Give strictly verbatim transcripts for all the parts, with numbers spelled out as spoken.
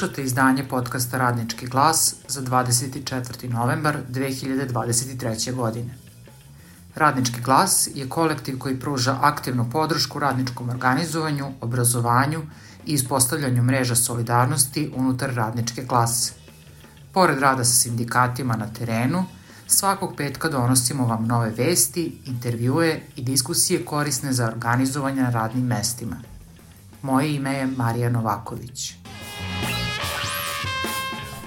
Slušate izdanje podcasta Radnički glas za dvadeset četvrti novembar dve hiljade dvadeset treće. godine. Radnički glas je kolektiv koji pruža aktivnu podršku radničkom organizovanju, obrazovanju i ispostavljanju mreža solidarnosti unutar radničke klase. Pored rada sa sindikatima na terenu, svakog petka donosimo vam nove vesti, intervjue i diskusije korisne za organizovanje na radnim mestima. Moje ime je Marija Novaković.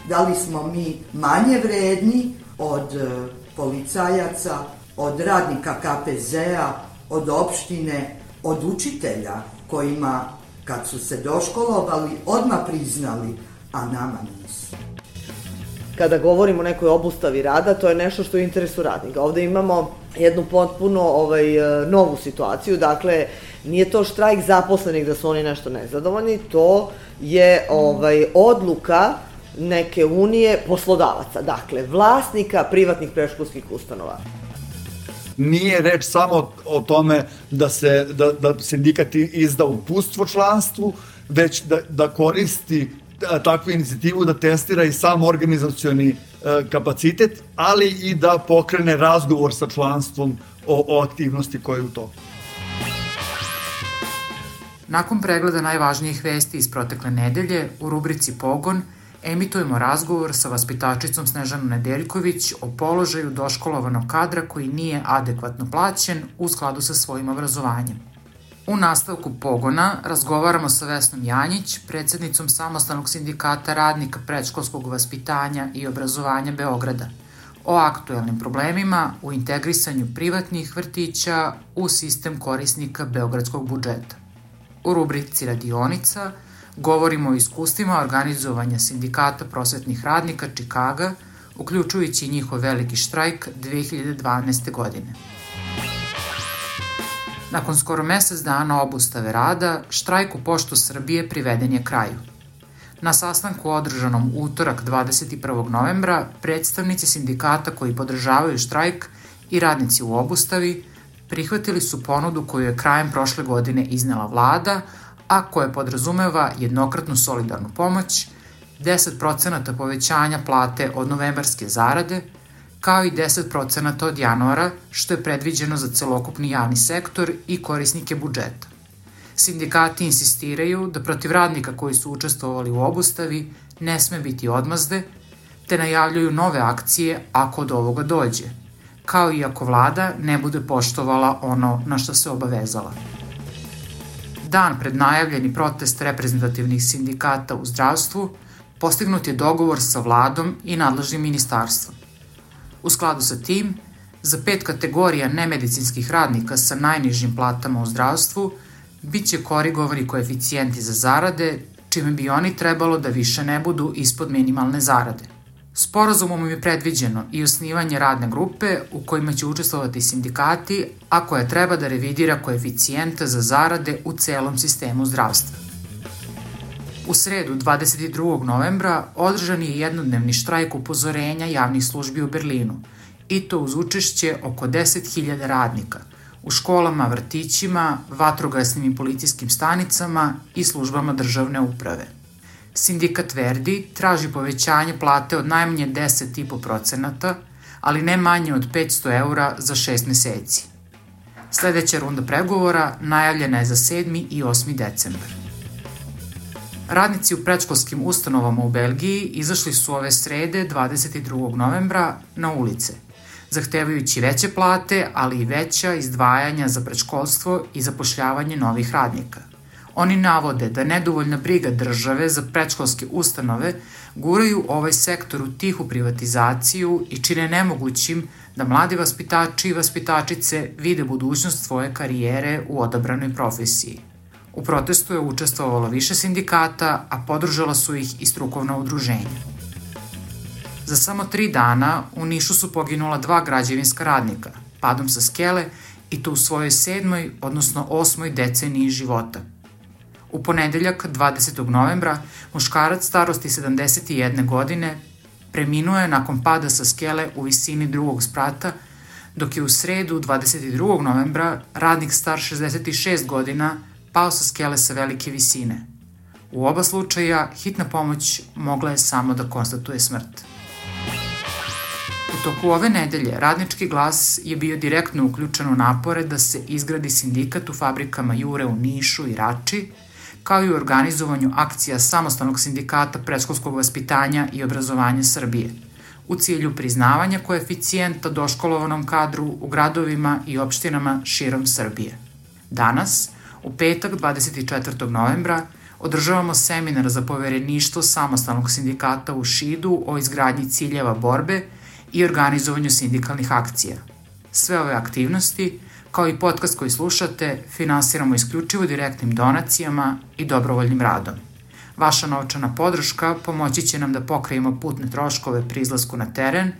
Da li smo mi manje vredni od policajaca, od radnika ka pe zea, od opštine, od učitelja kojima, kad su se doškolovali, odmah priznali, a nama nisu? Kada govorimo o nekoj obustavi rada, to je nešto što je u interesu radnika. Ovde imamo jednu potpuno ovaj, novu situaciju, dakle, nije to štrajk zaposlenih da su oni nešto nezadovoljni, to je ovaj, odluka neke unije poslodavaca, dakle, vlasnika privatnih predškolskih ustanova. Nije reč samo o tome da se da, da sindikat izda uputstvo članstvu, već da, da koristi takvu inicijativu da testira i sam organizacioni kapacitet, ali i da pokrene razgovor sa članstvom o, o aktivnosti koje je u toku. Nakon pregleda najvažnijih vesti iz protekle nedelje, u rubrici Pogon emitujemo razgovor sa vaspitačicom Snežanom Nedeljković o položaju doškolovanog kadra koji nije adekvatno plaćen u skladu sa svojim obrazovanjem. U nastavku Pogona razgovaramo sa Vesnom Janjić, predsednicom Samostalnog sindikata radnika predškolskog vaspitanja i obrazovanja Beograda, o aktuelnim problemima u integrisanju privatnih vrtića u sistem korisnika beogradskog budžeta. U rubrici Radionica govorimo o iskustvima organizovanja sindikata prosvetnih radnika Čikaga, uključujući i njihov veliki štrajk dve hiljade dvanaeste. godine. Nakon skoro mesec dana obustave rada, štrajk u Poštu Srbije priveden je kraju. Na sastanku održanom utorak dvadeset prvog novembra, predstavnici sindikata koji podržavaju štrajk i radnici u obustavi prihvatili su ponudu koju je krajem prošle godine iznela vlada, a koja podrazumeva jednokratnu solidarnu pomoć, deset procenata povećanja plate od novembarske zarade, kao i deset procenata od januara, što je predviđeno za celokupni javni sektor i korisnike budžeta. Sindikati insistiraju da protiv radnika koji su učestvovali u obustavi ne sme biti odmazde, te najavljuju nove akcije ako do ovoga dođe, kao i ako vlada ne bude poštovala ono na što se obavezala. Dan pred najavljeni protest reprezentativnih sindikata u zdravstvu, postignut je dogovor sa vladom i nadležnim ministarstvom. U skladu sa tim, za pet kategorija nemedicinskih radnika sa najnižim platama u zdravstvu biće korigovani koeficijenti za zarade, čime bi oni trebalo da više ne budu ispod minimalne zarade. Sporazumom je predviđeno i osnivanje radne grupe u kojima će učestvovati sindikati, a koja treba da revidira koeficijente za zarade u celom sistemu zdravstva. U sredu dvadeset drugog novembra održan je jednodnevni štrajk upozorenja javnih službi u Berlinu, i to uz učešće oko deset hiljada radnika u školama, vrtićima, vatrogasnim i policijskim stanicama i službama državne uprave. Sindikat Verdi traži povećanje plate od najmanje deset zarez pet procenata, ali ne manje od petsto eura za šest meseci. Sledeća runda pregovora najavljena je za sedmi i osmi decembar. Radnici u predškolskim ustanovama u Belgiji izašli su ove srede dvadeset drugog novembra na ulice, zahtevajući veće plate, ali i veća izdvajanja za predškolstvo i zapošljavanje novih radnika. Oni navode da nedovoljna briga države za predškolske ustanove guraju ovaj sektor u tihu privatizaciju i čine nemogućim da mladi vaspitači i vaspitačice vide budućnost svoje karijere u odabranoj profesiji. U protestu je učestvovalo više sindikata, a podržala su ih i strukovna udruženja. Za samo tri dana u Nišu su poginula dva građevinska radnika, padom sa skele, i to u svojoj sedmoj, odnosno osmoj deceniji života. U ponedeljak, dvadesetog novembra, muškarac starosti sedamdeset jedne godine preminuo je nakon pada sa skele u visini drugog sprata, dok je u sredu, dvadeset drugog novembra, radnik star šezdeset šest godina pao sa skele sa velike visine. U oba slučaja hitna pomoć mogla je samo da konstatuje smrt. U toku ove nedelje Radnički glas je bio direktno uključen u napore da se izgradi sindikat u fabrikama Jure u Nišu i Rači, kao i u organizovanju akcija Samostalnog sindikata predškolskog vaspitanja i obrazovanja Srbije, u cilju priznavanja koeficijenta doškolovanom kadru u gradovima i opštinama širom Srbije. Danas, u petak dvadeset četvrtog novembra, održavamo seminar za povereništvo Samostalnog sindikata u Šidu o izgradnji ciljeva borbe i organizovanju sindikalnih akcija. Sve ove aktivnosti, kao i podcast koji slušate, finansiramo isključivo direktnim donacijama i dobrovoljnim radom. Vaša novčana podrška pomoći će nam da pokrijemo putne troškove pri izlasku na teren,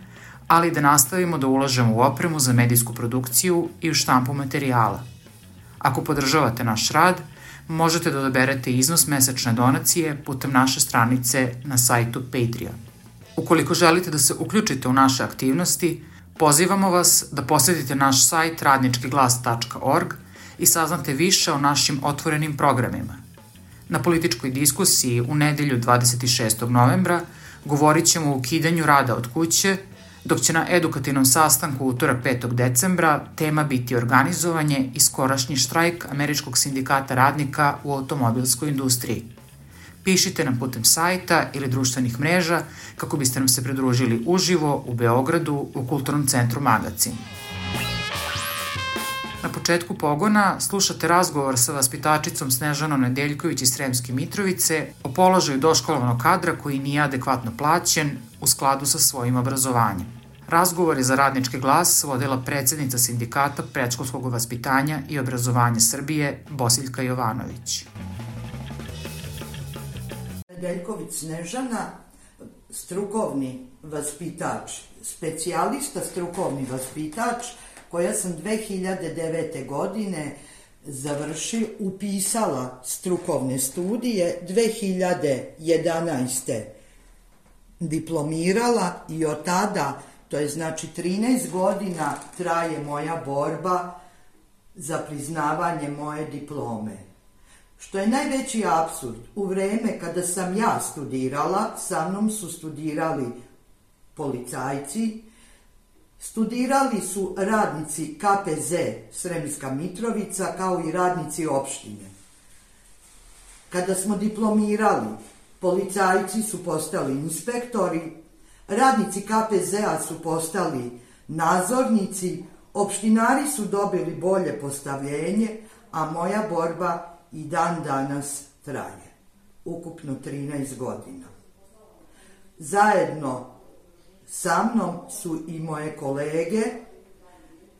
ali da nastavimo da ulažemo u opremu za medijsku produkciju i u štampu materijala. Ako podržavate naš rad, možete da odaberete iznos mesečne donacije putem naše stranice na sajtu Patreon. Ukoliko želite da se uključite u naše aktivnosti, pozivamo vas da posetite naš sajt radnički glas tačka org i saznate više o našim otvorenim programima. Na političkoj diskusiji u nedelju dvadeset šestog novembra govorit ćemo o ukidanju rada od kuće, dok će na edukativnom sastanku utorak petog decembra tema biti organizovanje i skorašnji štrajk Američkog sindikata radnika u automobilskoj industriji. Pišite nam putem sajta ili društvenih mreža kako biste nam se pridružili uživo u Beogradu u Kulturnom centru Magacin. Na početku pogona slušate razgovor sa vaspitačicom Snežanom Nedeljković iz Sremske Mitrovice o položaju doškolovanog kadra koji nije adekvatno plaćen u skladu sa svojim obrazovanjem. Razgovor je za Radnički glas vodila predsednica Sindikata predškolskog vaspitanja i obrazovanja Srbije Bosiljka Jovanović. Nedeljković Snežana, strukovni vaspitač, specijalista strukovni vaspitač, koja sam dve hiljade devete. godine završila, upisala strukovne studije, dve hiljade jedanaeste. diplomirala i od tada, to je znači trinaest godina, traje moja borba za priznavanje moje diplome. Što je najveći apsurd, u vreme kada sam ja studirala, sa mnom su studirali policajci, studirali su radnici K P Z Sremska Mitrovica, kao i radnici opštine. Kada smo diplomirali, policajci su postali inspektori, radnici K P Z-a su postali nadzornici, opštinari su dobili bolje postavljenje, a moja borba i dan danas traje. Ukupno trinaest godina. Zajedno sa mnom su i moje kolege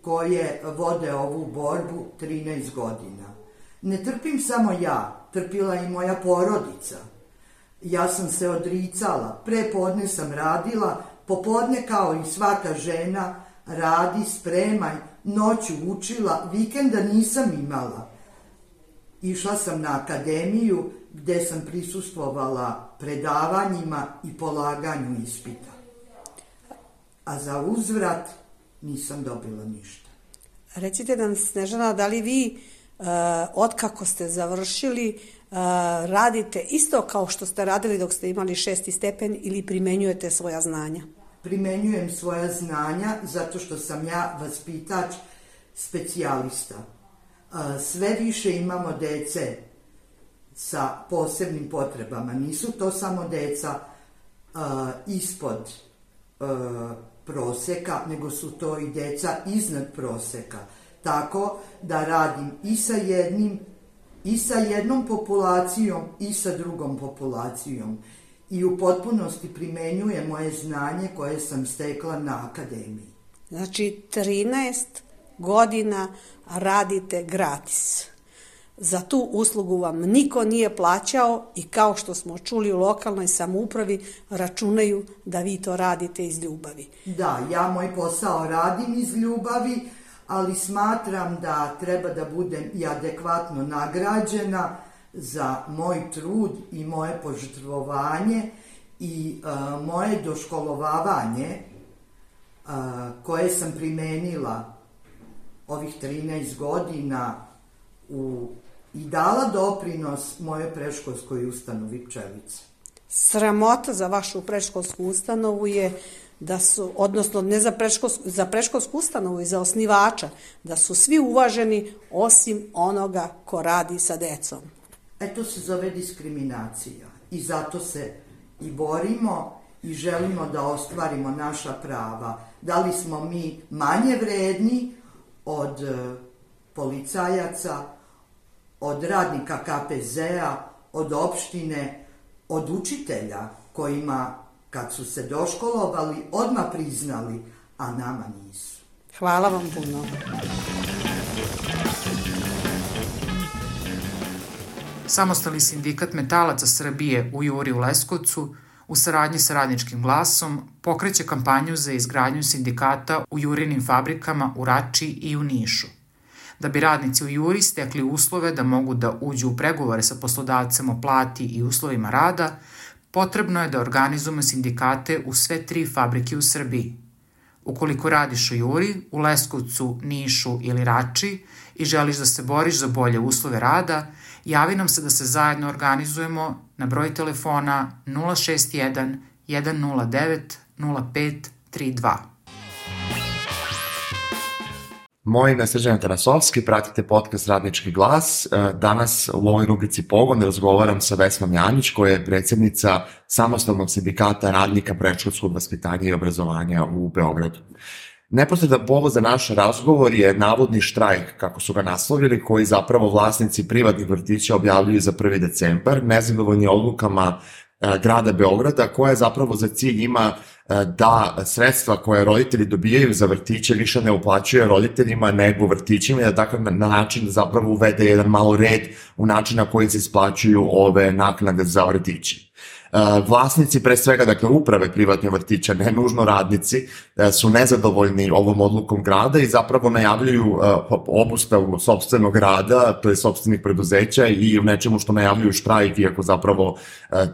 koje vode ovu borbu trinaest godina. Ne trpim samo ja, trpila i moja porodica. Ja sam se odricala, pre podne sam radila, popodne kao i svaka žena radi, spremaj, noću učila, vikenda nisam imala. Išla sam na akademiju gde sam prisustvovala predavanjima i polaganju ispita. A za uzvrat nisam dobila ništa. Recite nam, Snežana, da li vi, uh, otkako ste završili, uh, radite isto kao što ste radili dok ste imali šesti stepen ili primenjujete svoja znanja? Primenjujem svoja znanja zato što sam ja vaspitač specijalista. Uh, sve više imamo dece sa posebnim potrebama. Nisu to samo deca uh, ispod uh, proseka, nego su to i deca iznad proseka. Tako da radim i sa jednim, i sa jednom populacijom, i sa drugom populacijom. I u potpunosti primenjujem moje znanje koje sam stekla na akademiji. Znači, trinaest godina radite gratis. Za tu uslugu vam niko nije plaćao i kao što smo čuli u lokalnoj samoupravi računaju da vi to radite iz ljubavi. Da, ja moj posao radim iz ljubavi, ali smatram da treba da budem i adekvatno nagrađena za moj trud i moje požrtvovanje i uh, moje doškolovavanje uh, koje sam primenila ovih trinaest godina u i dala doprinos moje predškolskoj ustanovi Pčelice. Sramota za vašu predškolsku ustanovu je da su, odnosno ne za predškolsku, za predškolsku ustanovu i za osnivača, da su svi uvaženi osim onoga ko radi sa decom. E, to se zove diskriminacija i zato se i borimo i želimo da ostvarimo naša prava. Da li smo mi manje vredni od policajaca, od radnika ka pe zea, od opštine, od učitelja kojima, kad su se doškolovali, odmah priznali, a nama nisu. Hvala vam puno. Samostalni sindikat metalaca Srbije u Juri u Leskovcu u saradnji sa Radničkim glasom pokreće kampanju za izgradnju sindikata u Jurinim fabrikama u Rači i u Nišu. Da bi radnici u Juri stekli uslove da mogu da uđu u pregovore sa poslodavcem o plati i uslovima rada, potrebno je da organizujemo sindikate u sve tri fabrike u Srbiji. Ukoliko radiš u Juri, u Leskovcu, Nišu ili Rači i želiš da se boriš za bolje uslove rada, javi nam se da se zajedno organizujemo na broj telefona nula šest jedan jedan nula devet nula pet tri dva. Moje ime je Srđan Tarasovski, pratite podcast Radnički glas. Danas u ovoj rubrici Pogon razgovaram sa Vesnom Janjić, koja je predsjednica Samostalnog sindikata radnika predškolskog vaspitanja i obrazovanja u Beogradu. Neposredan povod za naš razgovor je navodni štrajk, kako su ga naslovili, koji zapravo vlasnici privatnih vrtića objavljuju za prvi decembar, nezadovoljni odlukama grada Beograda, koja zapravo za cilj ima da sredstva koje roditelji dobijaju za vrtiće više ne uplaćuje roditeljima nego vrtićima i da takav na način da zapravo uvede jedan malo red u način na koji se isplaćuju ove naknade za vrtiće. Vlasnici, pre svega, dakle, uprave privatnih vrtića, ne nužno radnici, su nezadovoljni ovom odlukom grada i zapravo najavljuju obustavu sopstvenog rada, to je sopstvenih preduzeća i u nečemu što najavljuju štrajk, iako zapravo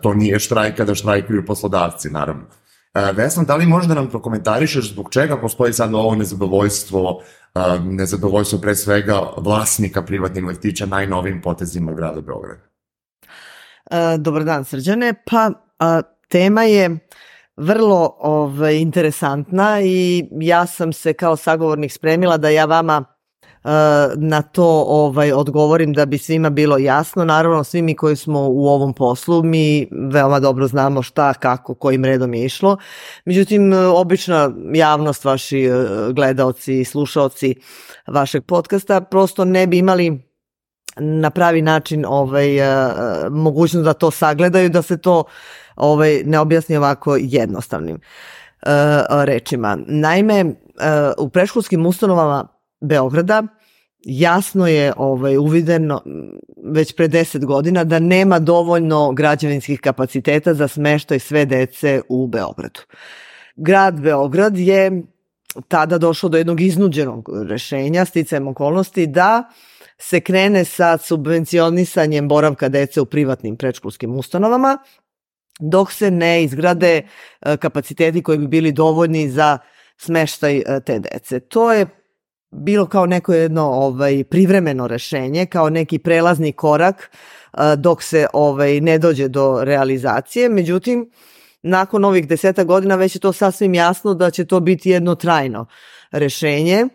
to nije štrajk kada štrajkuju poslodavci, naravno. Vesna, da li možda nam prokomentarišeš zbog čega postoji sad ovo nezadovoljstvo, nezadovoljstvo pre svega vlasnika privatnih vrtića najnovijim potezima grada Beograda? Dobar dan, Srđane. Pa a, tema je vrlo ovaj, interesantna i ja sam se kao sagovornik spremila da ja vama a, na to ovaj, odgovorim da bi svima bilo jasno. Naravno, svi mi koji smo u ovom poslu, mi veoma dobro znamo šta, kako, kojim redom je išlo. Međutim, obična javnost, vaši gledaoci i slušaoci vašeg podcasta prosto ne bi imali na pravi način ovaj, mogućnost da to sagledaju, da se to ovaj, ne objasni ovako jednostavnim uh, rečima. Naime, uh, u predškolskim ustanovama Beograda jasno je ovaj, uvideno već pre deset godina da nema dovoljno građevinskih kapaciteta za smeštaj sve dece u Beogradu. Grad Beograd je tada došao do jednog iznuđenog rešenja, sticajem okolnosti, da se krene sa subvencionisanjem boravka dece u privatnim predškolskim ustanovama, dok se ne izgrade kapaciteti koji bi bili dovoljni za smeštaj te dece. To je bilo kao neko jedno ovaj, privremeno rešenje, kao neki prelazni korak dok se ovaj, ne dođe do realizacije. Međutim, nakon ovih deseta godina već je to sasvim jasno da će to biti jedno trajno rešenje.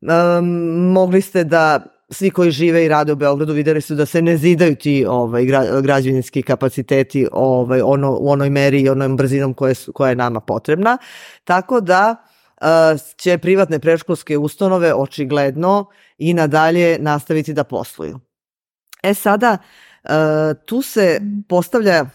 Um, mogli ste da svi koji žive i rade u Beogradu videli su da se ne zidaju ti ovaj, građevinski kapaciteti ovaj, ono, u onoj meri i onom brzinom koje su, koja je nama potrebna. Tako da uh, će privatne predškolske ustanove očigledno i nadalje nastaviti da posluju. E sada, uh, tu se postavlja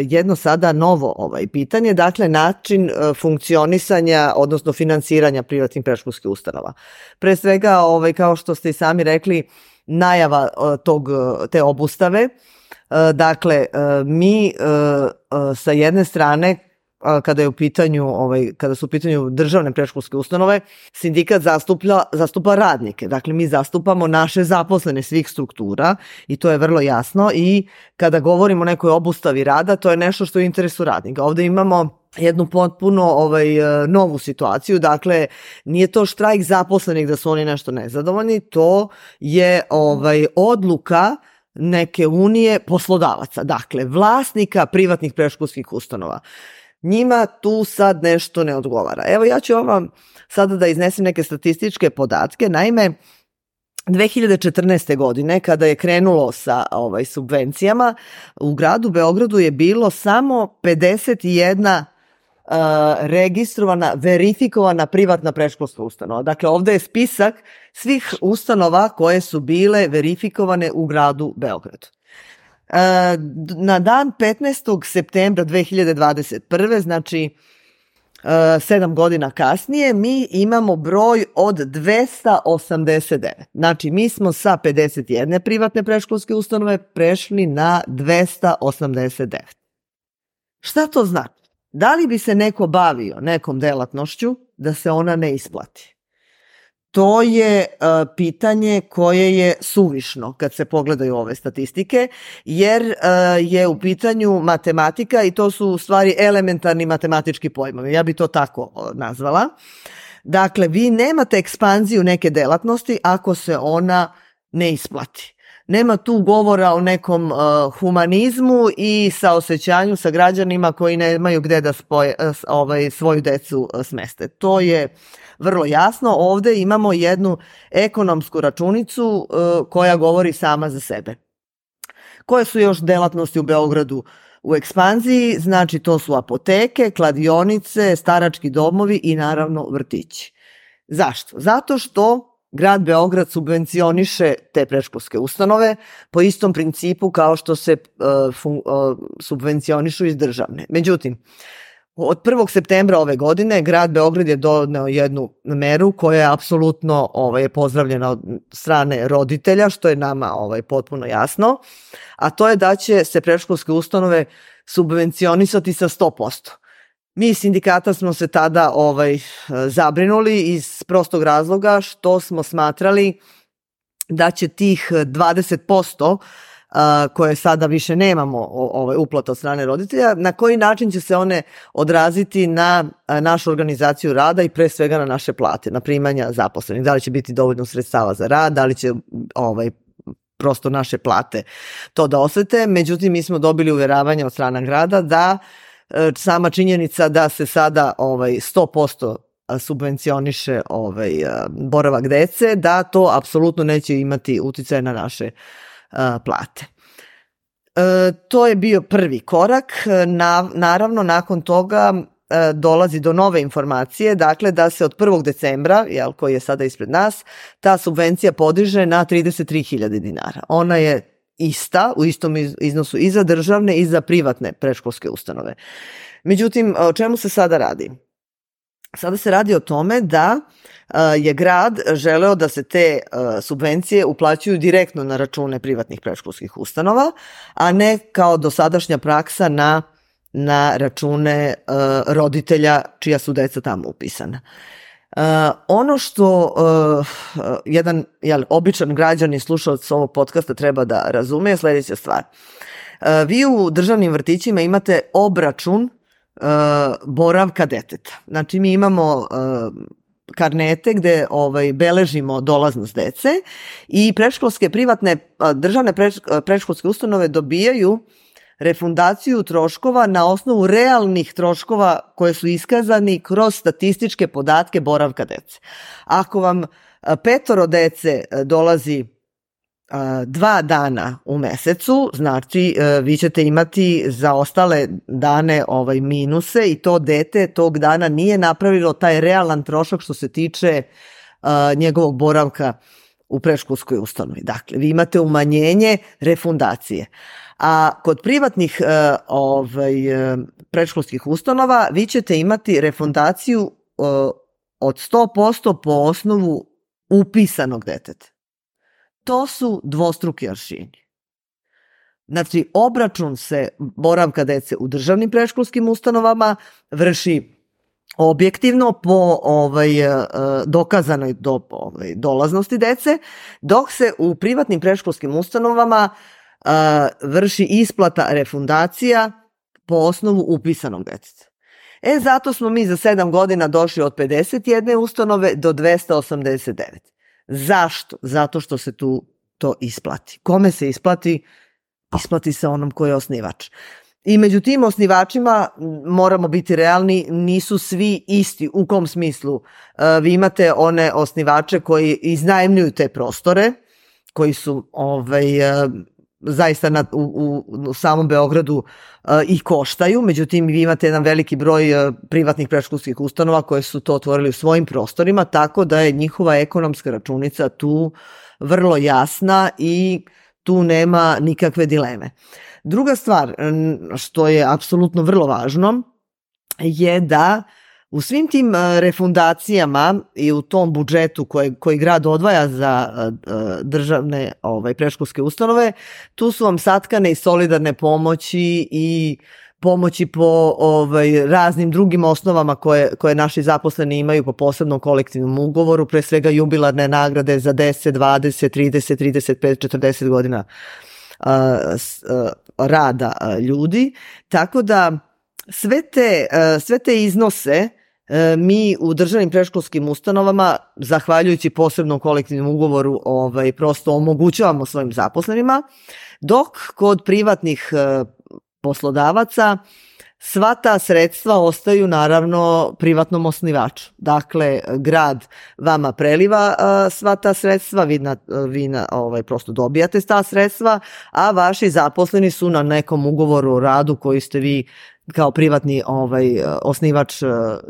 jedno sada novo ovaj pitanje, dakle način funkcionisanja, odnosno finansiranja privatnih predškolskih ustanova. Pre svega, ovaj, kao što ste i sami rekli, najava tog, te obustave, dakle mi sa jedne strane, kada je u pitanju, ovaj, kada su u pitanju državne predškolske ustanove, sindikat zastupa, zastupa radnike. Dakle, mi zastupamo naše zaposlene svih struktura i to je vrlo jasno i kada govorimo o nekoj obustavi rada, to je nešto što je u interesu radnika. Ovde imamo jednu potpuno ovaj, novu situaciju, dakle, nije to štrajk zaposlenih da su oni nešto nezadovoljni, to je ovaj, odluka neke unije poslodavaca, dakle vlasnika privatnih predškolskih ustanova. Njima tu sad nešto ne odgovara. Evo ja ću vam sada da iznesem neke statističke podatke. Naime, dve hiljade četrnaeste. godine, kada je krenulo sa ovaj, subvencijama, u gradu Beogradu je bilo samo pedeset jedna uh, registrovana, verifikovana privatna predškolska ustanova. Dakle, ovde je spisak svih ustanova koje su bile verifikovane u gradu Beogradu. Uh, na dan petnaestog septembra dve hiljade dvadeset prve. znači uh, sedam godina kasnije, mi imamo broj od dvesta osamdeset devet. Znači, mi smo sa pedeset jedne privatne predškolske ustanove prešli na dvesta osamdeset devet. Šta to znači? Da li bi se neko bavio nekom delatnošću da se ona ne isplati? To je uh, pitanje koje je suvišno kad se pogledaju ove statistike, jer uh, je u pitanju matematika i to su u stvari elementarni matematički pojmovi. Ja bi to tako uh, nazvala. Dakle, vi nemate ekspanziju neke delatnosti ako se ona ne isplati. Nema tu govora o nekom uh, humanizmu i saosećanju sa građanima koji nemaju gde da spoje, uh, ovaj, svoju decu uh, smeste. To je vrlo jasno. Ovde imamo jednu ekonomsku računicu uh, koja govori sama za sebe. Koje su još delatnosti u Beogradu u ekspanziji? Znači, to su apoteke, kladionice, starački domovi i naravno vrtići. Zašto? Zato što grad Beograd subvencioniše te predškolske ustanove po istom principu kao što se uh, fun, uh, subvencionišu iz državne. Međutim, od prvog septembra ove godine grad Beograd je doneo jednu meru koja je apsolutno ovaj, pozdravljena od strane roditelja, što je nama ovaj, potpuno jasno, a to je da će se predškolske ustanove subvencionisati sa sto posto. Mi iz sindikata smo se tada ovaj, zabrinuli iz prostog razloga što smo smatrali da će tih dvadeset posto koje sada više nemamo ovaj, uplata od strane roditelja, na koji način će se one odraziti na našu organizaciju rada i pre svega na naše plate, na primanja zaposlenih. Da li će biti dovoljno sredstava za rad, da li će ovaj, prosto naše plate to da osete. Međutim, mi smo dobili uveravanje od strane grada da sama činjenica da se sada ovaj, sto posto subvencioniše ovaj, boravak dece, da to apsolutno neće imati uticaj na naše a, plate. E, to je bio prvi korak. Na, naravno, nakon toga e, dolazi do nove informacije, dakle da se od prvog decembra, jel, koji je sada ispred nas, ta subvencija podiže na trideset tri hiljade dinara. Ona je ista, u istom iznosu i za državne i za privatne predškolske ustanove. Međutim, o čemu se sada radi? Sada se radi o tome da je grad želeo da se te subvencije uplaćuju direktno na račune privatnih predškolskih ustanova, a ne kao dosadašnja praksa na, na račune roditelja čija su deca tamo upisana. Uh, ono što uh, jedan jel, običan građan i slušalac ovog podcasta treba da razume je sljedeća stvar. Uh, vi u državnim vrtićima imate obračun uh, boravka deteta. Znači mi imamo uh, karnete gde ovaj, beležimo dolaznost dece i predškolske privatne državne predškolske ustanove dobijaju refundaciju troškova na osnovu realnih troškova koje su iskazani kroz statističke podatke boravka dece. Ako vam petoro dece dolazi dva dana u mesecu, znači vi ćete imati za ostale dane ovaj minuse i to dete tog dana nije napravilo taj realan trošak što se tiče njegovog boravka u predškolskoj ustanovi. Dakle, vi imate umanjenje refundacije. A kod privatnih uh, ovaj, predškolskih ustanova vi ćete imati refundaciju uh, od sto posto po osnovu upisanog deteta. To su dvostruki aršini. Znači, obračun se boravka dece u državnim predškolskim ustanovama vrši objektivno po ovaj, dokazanoj do, ovaj, dolaznosti dece, dok se u privatnim predškolskim ustanovama Uh, vrši isplata refundacija po osnovu upisanog deteta. E, zato smo mi za sedam godina došli od pedeset jedne ustanove do dvesta osamdeset devet. Zašto? Zato što se tu to isplati. Kome se isplati? Isplati se onom ko je osnivač. I među tim osnivačima, moramo biti realni, nisu svi isti. U kom smislu? Vi imate one osnivače koji iznajmljuju te prostore, koji su ovaj, zaista na, u, u, u samom Beogradu i koštaju, međutim vi imate jedan veliki broj privatnih predškolskih ustanova koje su to otvorili u svojim prostorima, tako da je njihova ekonomska računica tu vrlo jasna i tu nema nikakve dileme. Druga stvar, što je apsolutno vrlo važno, je da u svim tim refundacijama i u tom budžetu koje, koji grad odvaja za državne ovaj, predškolske ustanove, tu su vam satkane i solidarne pomoći i pomoći po ovaj, raznim drugim osnovama koje, koje naši zaposleni imaju po posebnom kolektivnom ugovoru, pre svega jubilarne nagrade za deset, dvadeset, trideset, trideset pet, četrdeset godina a, a, rada a, ljudi. Tako da sve te, a, sve te iznose a, mi u državnim predškolskim ustanovama, zahvaljujući posebnom kolektivnom ugovoru, ovaj, prosto omogućavamo svojim zaposlenima, dok kod privatnih a, poslodavaca sva ta sredstva ostaju naravno privatnom osnivaču. Dakle, grad vama preliva a, sva ta sredstva, vi, na, vi na, ovaj, prosto dobijate ta sredstva, a vaši zaposleni su na nekom ugovoru o radu koji ste vi kao privatni ovaj, osnivač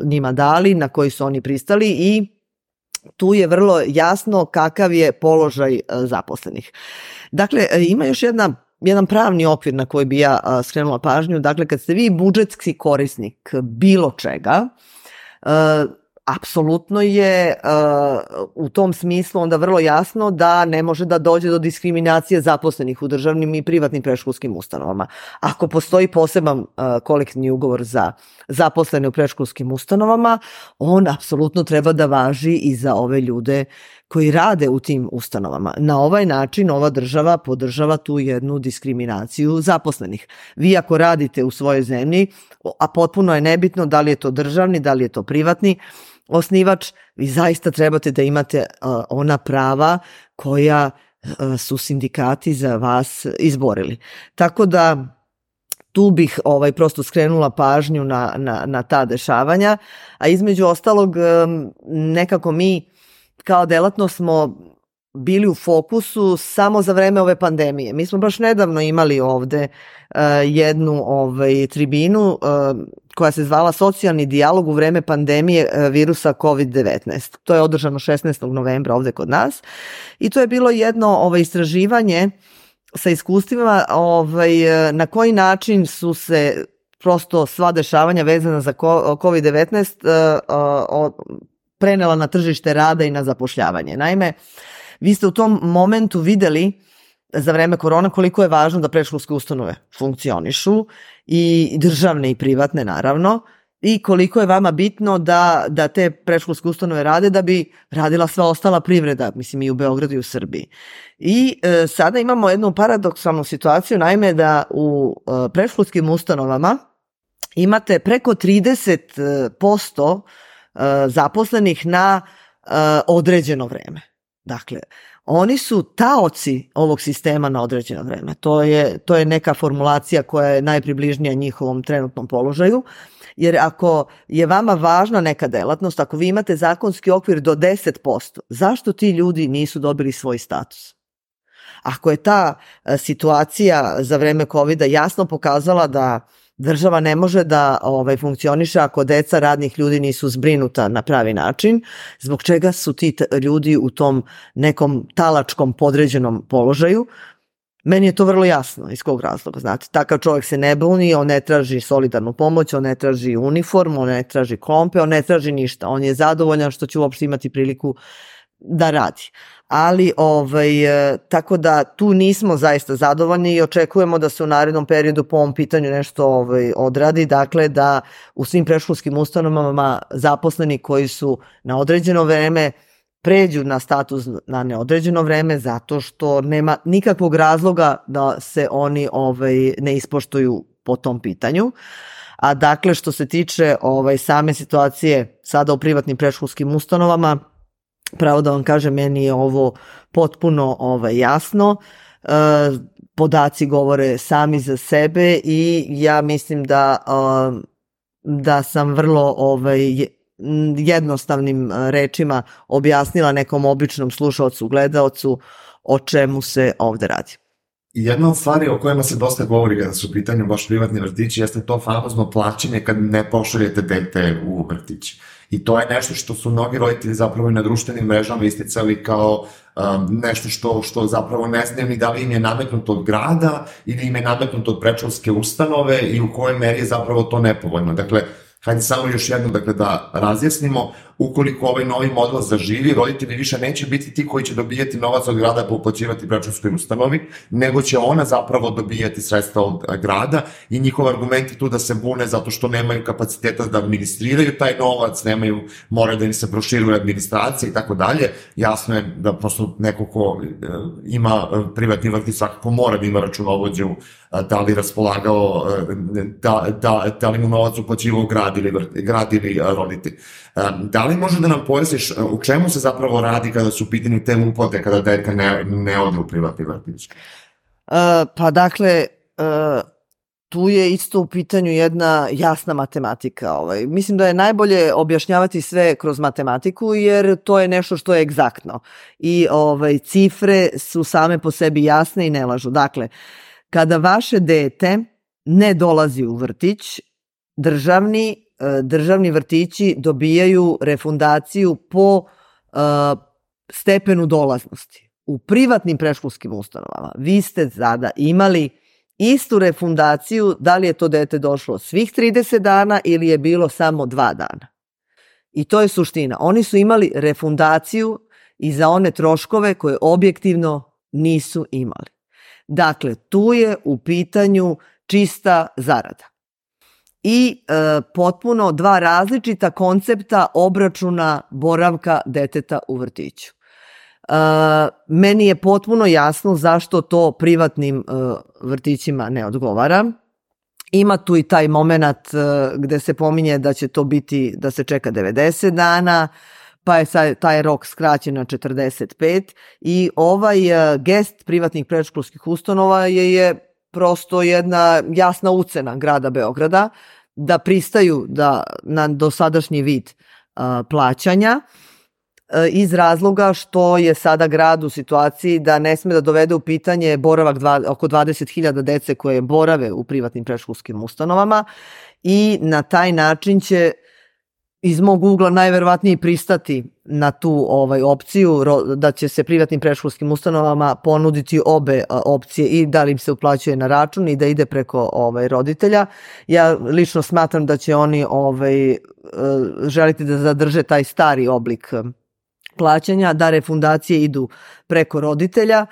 njima dali, na koji su oni pristali i tu je vrlo jasno kakav je položaj zaposlenih. Dakle, ima još jedna jedan pravni okvir na koji bi ja a, skrenula pažnju. Dakle, kad ste vi budžetski korisnik bilo čega, a, apsolutno je a, u tom smislu onda vrlo jasno da ne može da dođe do diskriminacije zaposlenih u državnim i privatnim predškolskim ustanovama. Ako postoji poseban a, kolektivni ugovor za zaposlene u predškolskim ustanovama, on apsolutno treba da važi i za ove ljude koji rade u tim ustanovama. Na ovaj način ova država podržava tu jednu diskriminaciju zaposlenih. Vi ako radite u svojoj zemlji, a potpuno je nebitno da li je to državni, da li je to privatni osnivač, vi zaista trebate da imate uh, ona prava koja uh, su sindikati za vas izborili. Tako da tu bih ovaj, prosto skrenula pažnju na, na, na ta dešavanja, a između ostalog um, nekako mi kao delatnost smo bili u fokusu samo za vreme ove pandemije. Mi smo baš nedavno imali ovde uh, jednu ovaj, tribinu uh, koja se zvala Socijalni dijalog u vreme pandemije uh, virusa kovid devetnaest. To je održano šesnaestog novembra ovde kod nas i to je bilo jedno ovaj, istraživanje sa iskustvima ovaj, na koji način su se prosto sva dešavanja vezana za kovid devetnaest uh, uh, prenela na tržište rada i na zapošljavanje. Naime, vi ste u tom momentu videli za vreme korona koliko je važno da predškolske ustanove funkcionišu i državne i privatne naravno i koliko je vama bitno da, da te predškolske ustanove rade da bi radila sva ostala privreda, mislim i u Beogradu i u Srbiji. I e, sada imamo jednu paradoksalnu situaciju, naime da u e, predškolskim ustanovama imate preko trideset posto zaposlenih na uh, određeno vreme. Dakle, oni su taoci ovog sistema na određeno vreme. To je, to je neka formulacija koja je najpribližnija njihovom trenutnom položaju, jer ako je vama važna neka delatnost, ako vi imate zakonski okvir do deset posto, zašto ti ljudi nisu dobili svoj status? Ako je ta uh, situacija za vreme kovida jasno pokazala da država ne može da ovaj, funkcioniše ako deca radnih ljudi nisu zbrinuta na pravi način, zbog čega su ti ljudi u tom nekom talačkom podređenom položaju. Meni je to vrlo jasno iz kog razloga, znate, takav čovjek se ne buni, on ne traži solidarnu pomoć, on ne traži uniformu, on ne traži klompe, on ne traži ništa, on je zadovoljan što će uopšte imati priliku da radi. Ali ovaj, tako da tu nismo zaista zadovoljni i očekujemo da se u narednom periodu po ovom pitanju nešto ovaj, odradi, dakle da u svim predškolskim ustanovama zaposleni koji su na određeno vreme pređu na status na neodređeno vreme zato što nema nikakvog razloga da se oni ovaj, ne ispoštuju po tom pitanju. A dakle što se tiče ovaj, same situacije sada u privatnim predškolskim ustanovama, Pravo da vam kažem, meni je ovo potpuno ovaj, jasno. E, podaci govore sami za sebe i ja mislim da, da sam vrlo ovaj, jednostavnim rečima objasnila nekom običnom slušaocu, gledaocu o čemu se ovde radi. I jedna od stvari o kojima se dosta govori kada su u pitanju baš privatni vrtići jeste to famozno plaćanje kad ne pošaljete dete u vrtić. I to je nešto što su mnogi roditelji zapravo i na društvenim mrežama isticali kao um, nešto što, što zapravo ne znaju ni da li im je nametnuto od grada ili im je nametnuto od predškolske ustanove i u kojoj meri je zapravo to nepovoljno. Dakle, hajde samo još jedno dakle, da razjasnimo, ukoliko ovaj novi model zaživi, roditelji više neće biti ti koji će dobijati novac od grada pa uplaćivati predškolskoj ustanovi, nego će ona zapravo dobijati sredstva od grada i njihov argument je tu da se bune zato što nemaju kapaciteta da administriraju taj novac, nemaju, moraju da im se proširuje administracija i tako dalje. Jasno je da prosto neko ko ima privatni vrtić svakako mora da ima računovođu, da li raspolagao, da, da, da li mu novac uplaćivao grad ili, grad ili roditelj. Da li može da nam pojasniš u čemu se zapravo radi kada su u pitanju te uplate kada dete ne, ne ode u privatni vrtić? Uh, pa dakle, uh, tu je isto u pitanju jedna jasna matematika. Ovaj. Mislim da je najbolje objašnjavati sve kroz matematiku jer to je nešto što je egzaktno. I ovaj, cifre su same po sebi jasne i ne lažu. Dakle, kada vaše dete ne dolazi u vrtić, državni državni vrtići dobijaju refundaciju po uh, stepenu dolaznosti. U privatnim predškolskim ustanovama vi ste sada imali istu refundaciju da li je to dete došlo svih trideset dana ili je bilo samo dva dana. I to je suština. Oni su imali refundaciju i za one troškove koje objektivno nisu imali. Dakle, tu je u pitanju čista zarada. I e, potpuno dva različita koncepta obračuna boravka deteta u vrtiću. E, meni je potpuno jasno zašto to privatnim e, vrtićima ne odgovara. Ima tu i taj moment e, gde se pominje da će to biti, da se čeka devedeset dana, pa je sad taj rok skraćen na četrdeset pet i ovaj e, gest privatnih predškolskih ustanova je, je prosto jedna jasna ucena grada Beograda da pristaju da, na dosadašnji vid a, plaćanja a, iz razloga što je sada grad u situaciji da ne sme da dovede u pitanje boravak dva, oko dvadeset hiljada dece koje borave u privatnim predškolskim ustanovama i na taj način će iz mog ugla najverovatnije pristati na tu ovaj opciju da će se privatnim predškolskim ustanovama ponuditi obe opcije i da li im se uplaćuje na račun i da ide preko ovaj roditelja. Ja lično smatram da će oni ovaj želiti da zadrže taj stari oblik plaćanja, da refundacije idu preko roditelja.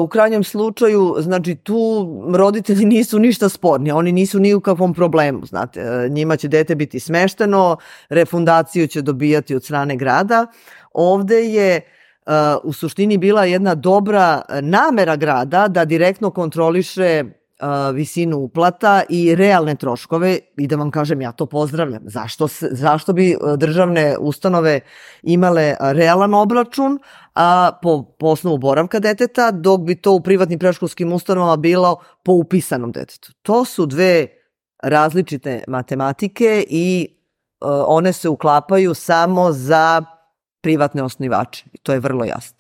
U krajnjem slučaju, znači tu roditelji nisu ništa sporni, oni nisu ni u kakvom problemu, znate, njima će dete biti smešteno, refundaciju će dobijati od strane grada. Ovde je u suštini bila jedna dobra namera grada da direktno kontroliše visinu uplata i realne troškove i da vam kažem, ja to pozdravljam. Zašto, se, zašto bi državne ustanove imale realan obračun a po, po osnovu boravka deteta, dok bi to u privatnim predškolskim ustanovama bilo po upisanom detetu. To su dve različite matematike i uh, one se uklapaju samo za privatne osnivače. I to je vrlo jasno.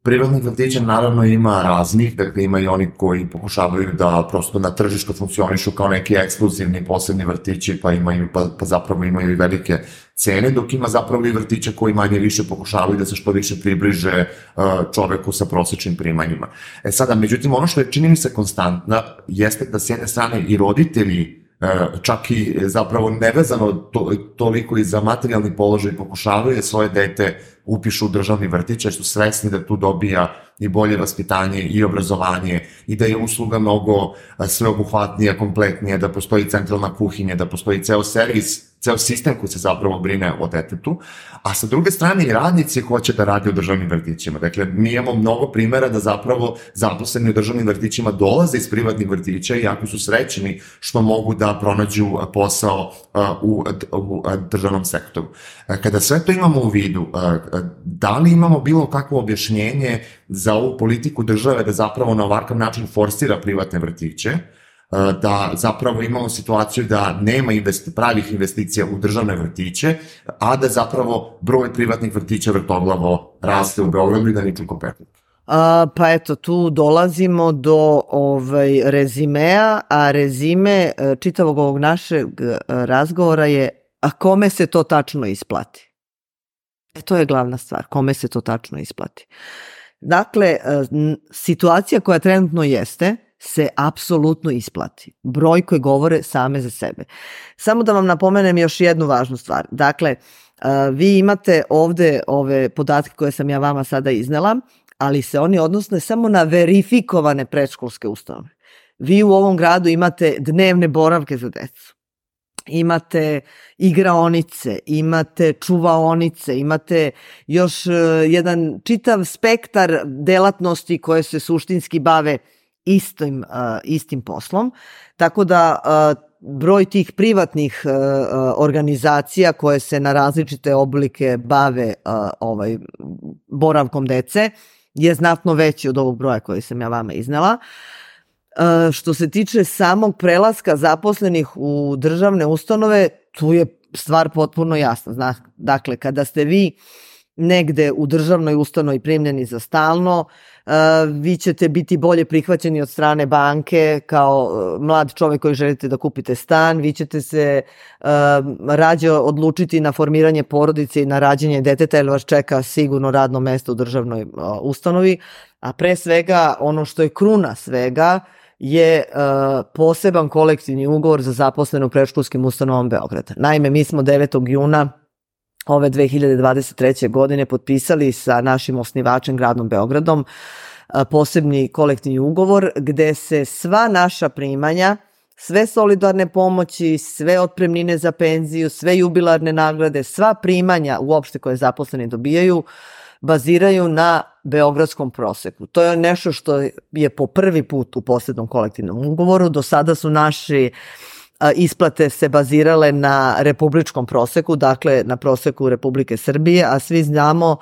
Privatnih vrtića naravno ima raznih, dakle ima i oni koji pokušavaju da prosto na tržištu funkcionišu kao neki ekskluzivni posebni vrtići, pa imaju, pa, pa zapravo imaju i velike cene, dok ima zapravo i vrtića koji manje više pokušavaju da se što više približe uh, čoveku sa prosečnim primanjima. E sada, međutim, ono što je čini mi se konstantna jeste da s jedne strane i roditelji čak i zapravo nevezano to, toliko i za materijalni položaj pokušavaju svoje dete upišu u državni vrtić, jer su svesni da tu dobija i bolje vaspitanje i obrazovanje i da je usluga mnogo sveobuhvatnija, kompletnija, da postoji centralna kuhinja, da postoji ceo servis, ceo sistem koji se zapravo brine o detetu, a sa druge strane i radnici hoće da rade u državnim vrtićima. Dakle, mi imamo mnogo primera da zapravo zaposleni u državnim vrtićima dolaze iz privatnih vrtića i jako su srećni što mogu da pronađu posao u, u državnom sektoru. Kada sve to imamo u vidu, da li imamo bilo kakvo objašnjenje za ovu politiku države da zapravo na ovakav način forsira privatne vrtiće, da zapravo imamo situaciju da nema investi, pravih investicija u državne vrtiće, a da zapravo broj privatnih vrtića vrtoglavo raste u Beogradu i da nikako petne? A, pa eto, tu dolazimo do ovaj, rezimea, a rezime čitavog ovog našeg razgovora je a kome se to tačno isplati? E, to je glavna stvar, kome se to tačno isplati. Dakle, situacija koja trenutno jeste, se apsolutno isplati. Brojke govore same za sebe. Samo da vam napomenem još jednu važnu stvar. Dakle, vi imate ovde ove podatke koje sam ja vama sada iznela, ali se oni odnose samo na verifikovane predškolske ustanove. Vi u ovom gradu imate dnevne boravke za decu. Imate igraonice, imate čuvaonice, imate još jedan čitav spektar delatnosti koje se suštinski bave istim, uh, istim poslom, tako da uh, broj tih privatnih uh, organizacija koje se na različite oblike bave uh, ovaj, boravkom dece je znatno veći od ovog broja koji sam ja vama iznela. Uh, što se tiče samog prelaska zaposlenih u državne ustanove, tu je stvar potpuno jasna. Zna, dakle, kada ste vi negde u državnoj ustanovi primljeni za stalno, uh, vi ćete biti bolje prihvaćeni od strane banke kao uh, mlad čovek koji želite da kupite stan, vi ćete se uh, rađe odlučiti na formiranje porodice i na rađenje deteta jer vas čeka sigurno radno mesto u državnoj uh, ustanovi, a pre svega ono što je kruna svega je uh, poseban kolektivni ugovor za zaposlene u predškolskim ustanovama Beograda. Naime, mi smo devetog juna ove dve hiljade dvadeset treće. godine potpisali sa našim osnivačem gradom Beogradom posebni kolektivni ugovor gde se sva naša primanja, sve solidarne pomoći, sve otpremnine za penziju, sve jubilarne nagrade, sva primanja uopšte koje zaposleni dobijaju baziraju na beogradskom proseku. To je nešto što je po prvi put u posebnom kolektivnom ugovoru. Do sada su naši isplate se bazirale na republičkom proseku, dakle na proseku Republike Srbije, a svi znamo,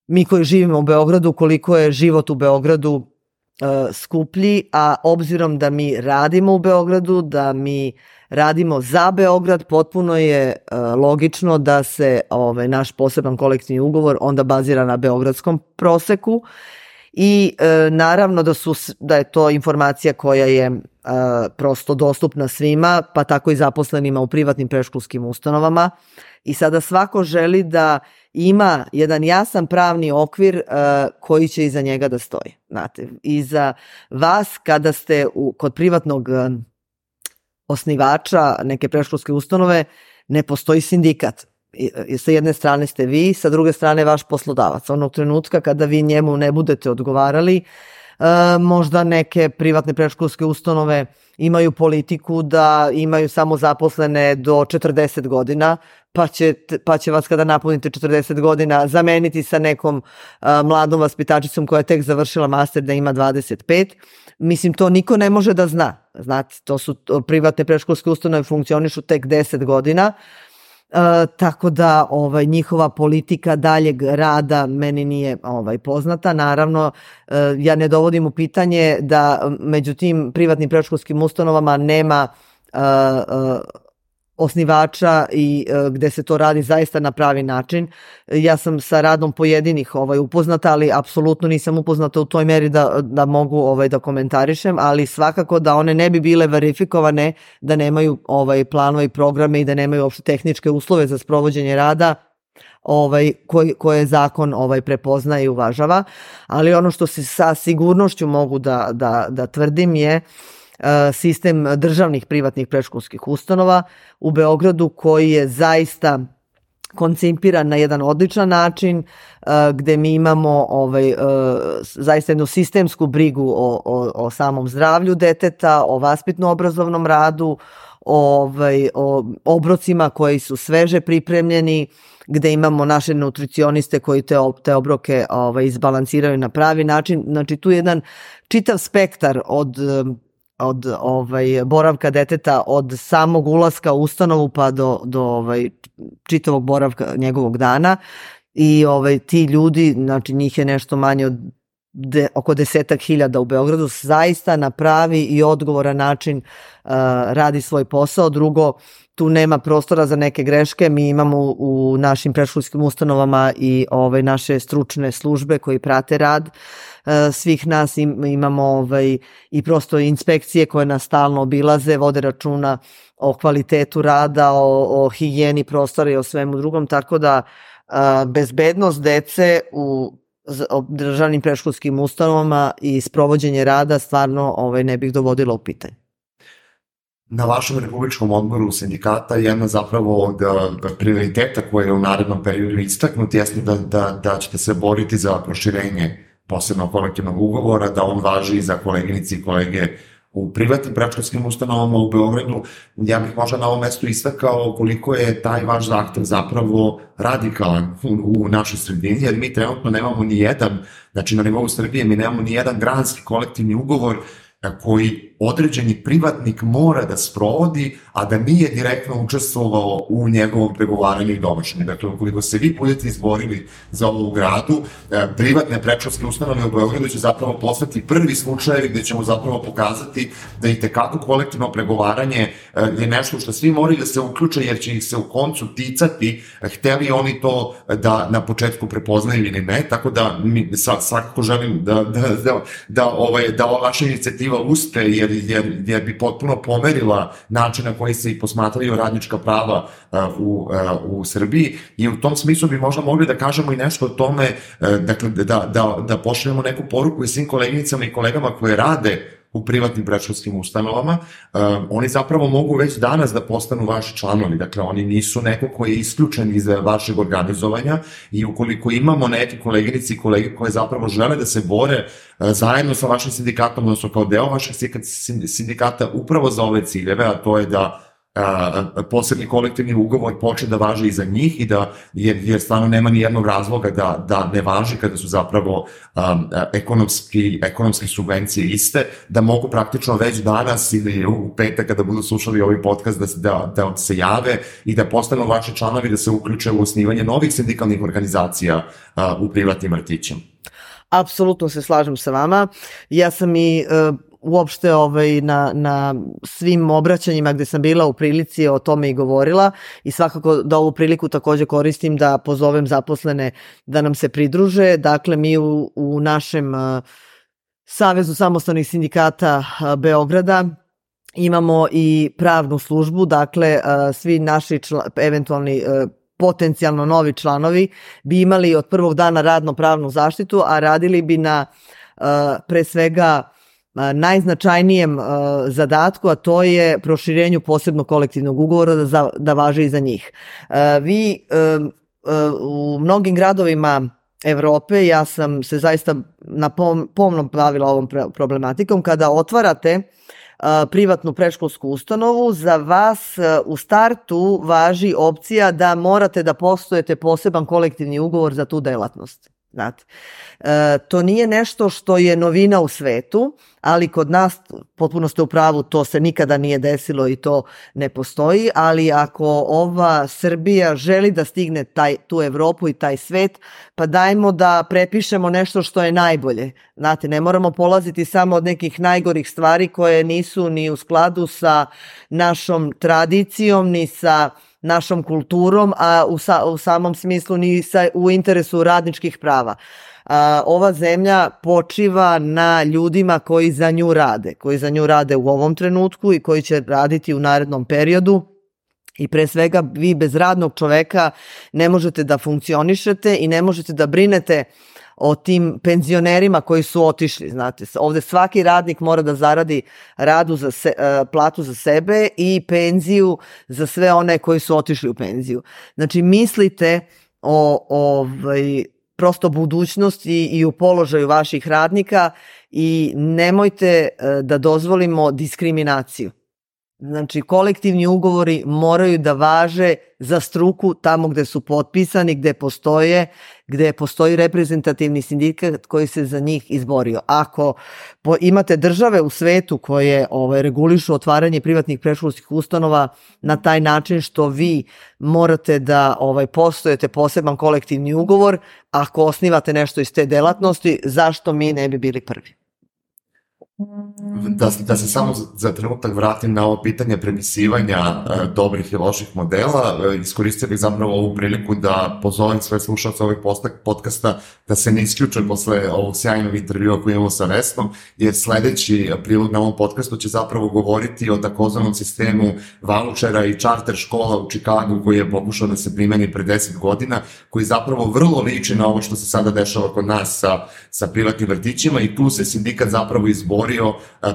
mi koji živimo u Beogradu, koliko je život u Beogradu uh, skuplji, a obzirom da mi radimo u Beogradu, da mi radimo za Beograd, potpuno je uh, logično da se ovaj, naš poseban kolektivni ugovor onda bazira na beogradskom proseku i e, naravno da, su, da je to informacija koja je e, prosto dostupna svima, pa tako i zaposlenima u privatnim predškolskim ustanovama i sada svako želi da ima jedan jasan pravni okvir e, koji će iza njega da stoji. Znate, iza vas kada ste u, kod privatnog e, osnivača neke predškolske ustanove ne postoji sindikat. I sa jedne strane ste vi, sa druge strane vaš poslodavac. Onog trenutka kada vi njemu ne budete odgovarali, možda neke privatne predškolske ustanove imaju politiku da imaju samo zaposlene do četrdeset godina, pa će, pa će vas kada napunite četrdeset godina zameniti sa nekom mladom vaspitačicom koja je tek završila master da ima dvadeset pet. Mislim, to niko ne može da zna. Znate, to su privatne predškolske ustanove funkcionišu tek deset godina, Uh, tako da ovaj, njihova politika daljeg rada meni nije ovaj, poznata. Naravno, uh, ja ne dovodim u pitanje da među tim privatnim predškolskim ustanovama nema uh, uh, osnivača i uh, gde se to radi zaista na pravi način. Ja sam sa radom pojedinih ovaj, upoznata, ali apsolutno nisam upoznata u toj meri da, da mogu ovaj, da komentarišem, ali svakako da one ne bi bile verifikovane da nemaju ovaj, planove i programe i da nemaju uopšte tehničke uslove za sprovođenje rada ovaj, koji, koje zakon ovaj, prepoznaje i uvažava. Ali ono što se sa sigurnošću mogu da, da, da tvrdim je sistem državnih privatnih predškolskih ustanova u Beogradu koji je zaista koncipiran na jedan odličan način, gde mi imamo ovaj, zaista jednu sistemsku brigu o, o, o samom zdravlju deteta, o vaspitno-obrazovnom radu, ovaj, o obrocima koji su sveže pripremljeni, gde imamo naše nutricioniste koji te, te obroke ovaj, izbalansiraju na pravi način. Znači tu je jedan čitav spektar od od ovaj, boravka deteta od samog ulaska u ustanovu pa do, do ovaj, čitavog boravka njegovog dana i ovaj, ti ljudi, znači njih je nešto manje od de, oko desetak hiljada u Beogradu, zaista na pravi i odgovoran način uh, radi svoj posao. Drugo, tu nema prostora za neke greške, mi imamo u našim predškolskim ustanovama i ovaj, naše stručne službe koji prate rad svih nas, imamo ovaj, i prosto inspekcije koje nas stalno obilaze, vode računa o kvalitetu rada, o, o higijeni prostora i o svemu drugom, tako da a, bezbednost dece u državnim predškolskim ustanovama i sprovođenje rada stvarno ovaj, ne bih dovodila u pitanje. Na vašem republičkom odboru sindikata jedna zapravo od prioriteta koje je u narednom periodu istaknuti jeste da, da, da ćete se boriti za proširenje posebno kolektivnog ugovora, da on važi i za koleginici i kolege u privatnim predškolskim ustanovama u Beogradu. Ja bih možda na ovom mestu istakao koliko je taj vaš zahtev zapravo radikalan u, u našoj sredini, jer mi trenutno nemamo ni jedan, znači na nivou Srbije mi nemamo ni jedan granski kolektivni ugovor koji određeni privatnik mora da sprovodi, a da nije direktno učestvovao u njegovom pregovaranju i donošenju. Dakle, ukoliko se vi budete izborili za ovo u gradu, privatne predškolske ustanove u Beogradu će zapravo postati prvi slučajevi gde ćemo zapravo pokazati da i tekako kolektivno pregovaranje je nešto što svi moraju da se uključe, jer će ih se u koncu ticati, hteli oni to da na početku prepoznaju ili ne, tako da mi svakako želim da, da, da, da, ovaj, da ova vaša inicijativa uspe, jer Jer, jer bi potpuno pomerila način na koji se i posmatraju radnička prava uh, u, uh, u Srbiji i u tom smislu bi možda mogli da kažemo i nešto o tome, uh, dakle, da, da, da pošaljemo neku poruku i svim koleginicama i kolegama koje rade u privatnim predškolskim ustanovama, uh, oni zapravo mogu već danas da postanu vaši članovi, dakle oni nisu neko koji je isključen iz vašeg organizovanja i ukoliko imamo neke koleginici i kolege koje zapravo žele da se bore uh, zajedno sa vašim sindikatom, odnosno kao deo vašeg sindikata upravo za ove ciljeve, a to je da a, posebni kolektivni ugovor počne da važi i za njih i da, jer, jer stvarno nema ni jednog razloga da, da ne važi kada su zapravo um, ekonomski, ekonomske subvencije iste, da mogu praktično već danas ili u petak kada budu slušali ovaj podcast da, da, da se jave i da postanu vaši članovi da se uključe u osnivanje novih sindikalnih organizacija a, u privatnim vrtićima. Apsolutno se slažem sa vama. Ja sam i uh, uopšte ovaj, na, na svim obraćanjima gde sam bila u prilici o tome i govorila i svakako da ovu priliku takođe koristim da pozovem zaposlene da nam se pridruže. Dakle, mi u, u našem uh, Savezu samostalnih sindikata uh, Beograda imamo i pravnu službu, dakle uh, svi naši čla, eventualni uh, potencijalno novi članovi bi imali od prvog dana radno-pravnu zaštitu, a radili bi na uh, pre svega uh, najznačajnijem uh, zadatku, a to je proširenju posebnog kolektivnog ugovora da, za, da važe i za njih. Uh, vi uh, uh, u mnogim gradovima Evrope, ja sam se zaista na pom, pomno bavila ovom problematikom, kada otvarate privatnu predškolsku ustanovu, za vas u startu važi opcija da morate da poštujete poseban kolektivni ugovor za tu delatnost. Znate, e, to nije nešto što je novina u svetu, ali kod nas, potpuno ste u pravu, to se nikada nije desilo i to ne postoji, ali ako ova Srbija želi da stigne taj, tu Evropu i taj svet, pa dajmo da prepišemo nešto što je najbolje. Znate, ne moramo polaziti samo od nekih najgorih stvari koje nisu ni u skladu sa našom tradicijom, ni sa našom kulturom, a u, sa, u samom smislu ni sa, u interesu radničkih prava. A, ova zemlja počiva na ljudima koji za nju rade, koji za nju rade u ovom trenutku i koji će raditi u narednom periodu. I pre svega vi bez radnog čoveka ne možete da funkcionišete i ne možete da brinete o tim penzionerima koji su otišli, znate. Ovde svaki radnik mora da zaradi radu za se, platu za sebe i penziju za sve one koji su otišli u penziju. Znači, mislite o ovaj, prosto budućnosti i u položaju vaših radnika i nemojte da dozvolimo diskriminaciju. Znači, kolektivni ugovori moraju da važe za struku tamo gde su potpisani, gde postoje, gde postoji reprezentativni sindikat koji se za njih izborio. Ako po, imate države u svetu koje ovaj, regulišu otvaranje privatnih predškolskih ustanova na taj način što vi morate da ovaj, postojete poseban kolektivni ugovor, ako osnivate nešto iz te delatnosti, zašto mi ne bi bili prvi? Da, da se samo za, za trenutak vratim na ovo pitanje prepisivanja e, dobrih i loših modela, e, iskoristio bih zapravo ovu priliku da pozovem sve slušalce ovih podcasta da se ne isključe posle ovog sjajnog intervjua koji imamo sa Vesnom, jer sledeći prilog na ovom podcastu će zapravo govoriti o takozvanom sistemu vaučera i čarter škola u Čikagu koji je pokušao da se primeni pre deset godina, koji zapravo vrlo liči na ovo što se sada dešava kod nas sa, sa privatnim vrtićima i tu se sindikat zapravo izbori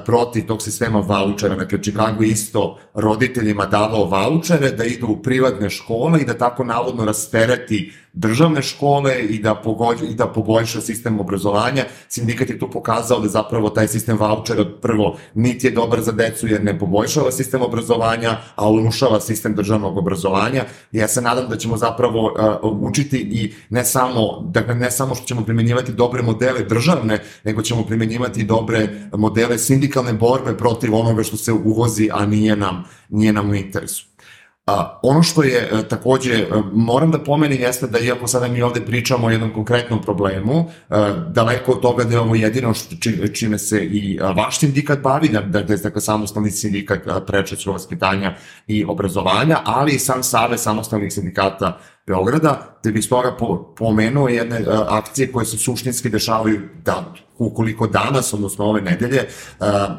protiv tog sistema vaučera. Dakle, Chicago isto roditeljima davao vaučere da idu u privatne škole i da tako navodno rastereti državne škole i da, pogođa, i da poboljša sistem obrazovanja. Sindikat je tu pokazao da zapravo taj sistem vaučera prvo niti je dobar za decu jer ne poboljšava sistem obrazovanja, a urušava sistem državnog obrazovanja. I ja se nadam da ćemo zapravo uh, učiti i ne samo, dakle, ne samo što ćemo primjenjivati dobre modele državne, nego ćemo primjenjivati dobre modele sindikalne borbe protiv onoga što se uvozi, a nije nam, nije nam u interesu. A, ono što je a, takođe, a, moram da pomenem jeste da iako sada mi ovde pričamo o jednom konkretnom problemu, a, daleko od toga da je ovo jedino što, či, čime se i a, vaš sindikat bavi, da, da, da je dakle, samostalni sindikat predškolskog vaspitanja i obrazovanja, ali i sam Savez samostalnih sindikata Beograda, da bih stoga po, pomenuo jedne a, akcije koje se suštinski dešavaju da ukoliko danas, odnosno ove nedelje, a, a,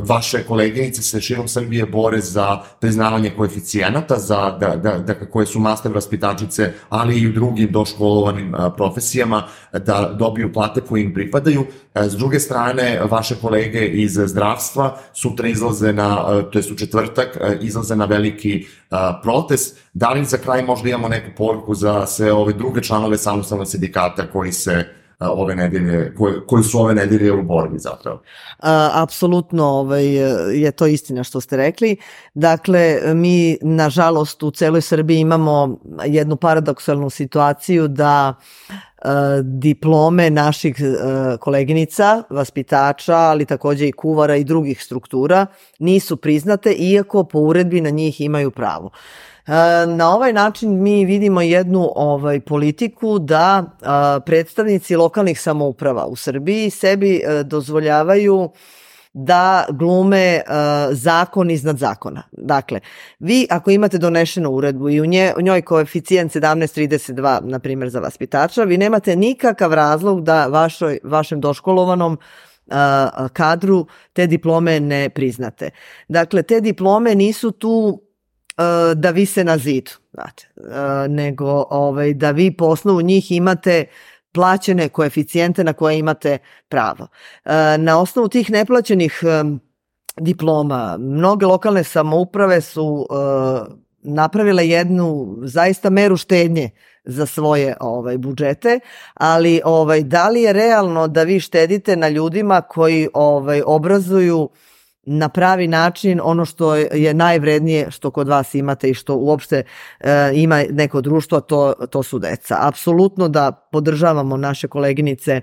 vaše koleginice se širom Srbije bore za priznavanje koeficijenata, za, da, da, da, koje su master vaspitačice, ali i u drugim doškolovanim a, profesijama, da dobiju plate koje im pripadaju. A, s druge strane, vaše kolege iz zdravstva sutra izlaze na, a, to jest u četvrtak, a, izlaze na veliki a, protest. Da li za kraj možda imamo neku poruku za sve ove druge članove samostalnog sindikata koji se ove nedelje, koji, koji su ove nedelje u borbi zapravo? A, apsolutno ovaj, je to istina što ste rekli. Dakle, mi nažalost u celoj Srbiji imamo jednu paradoksalnu situaciju da diplome naših koleginica, vaspitača, ali takođe i kuvara i drugih struktura nisu priznate, iako po uredbi na njih imaju pravo. Na ovaj način mi vidimo jednu ovaj, politiku da a, predstavnici lokalnih samouprava u Srbiji sebi a, dozvoljavaju da glume a, zakon iznad zakona. Dakle, vi ako imate donešenu uredbu i u, nje, u njoj koeficijent sedamnaest trideset dva, na primjer za vaspitača, vi nemate nikakav razlog da vašoj, vašem doškolovanom a, kadru te diplome ne priznate. Dakle, te diplome nisu tu da vise na zidu, znate, nego ovaj, da vi po osnovu njih imate plaćene koeficijente na koje imate pravo. Na osnovu tih neplaćenih diploma, mnoge lokalne samouprave su napravile jednu zaista meru štednje za svoje ovaj, budžete, ali ovaj, da li je realno da vi štedite na ljudima koji ovaj, obrazuju na pravi način ono što je najvrednije što kod vas imate i što uopšte e, ima neko društvo, to, to su deca. Apsolutno da podržavamo naše koleginice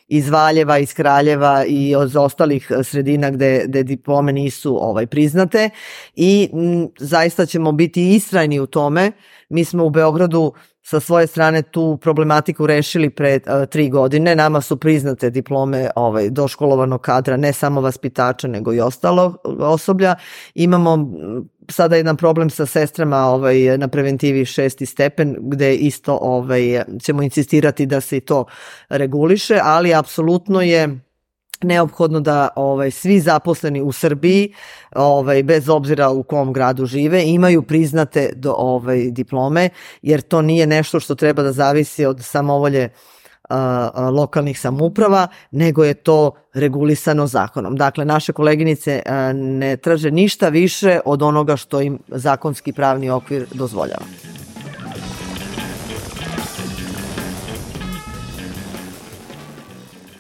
iz Valjeva, iz Kraljeva i od ostalih sredina gde, gde diplome nisu ovaj, priznate i m, zaista ćemo biti istrajni u tome. Mi smo u Beogradu sa svoje strane tu problematiku rešili pre uh, tri godine. Nama su priznate diplome ovaj, doškolovanog kadra, ne samo vaspitača, nego i ostalo osoblja. Imamo sada jedan problem sa sestrama ovaj, na preventivi šesti stepen, gde isto ovaj, ćemo insistirati da se i to reguliše, ali apsolutno je neophodno da ovaj, svi zaposleni u Srbiji, ovaj, bez obzira u kom gradu žive, imaju priznate do, ovaj, diplome, jer to nije nešto što treba da zavisi od samovolje a, lokalnih samouprava, nego je to regulisano zakonom. Dakle, naše koleginice a, ne traže ništa više od onoga što im zakonski pravni okvir dozvoljava.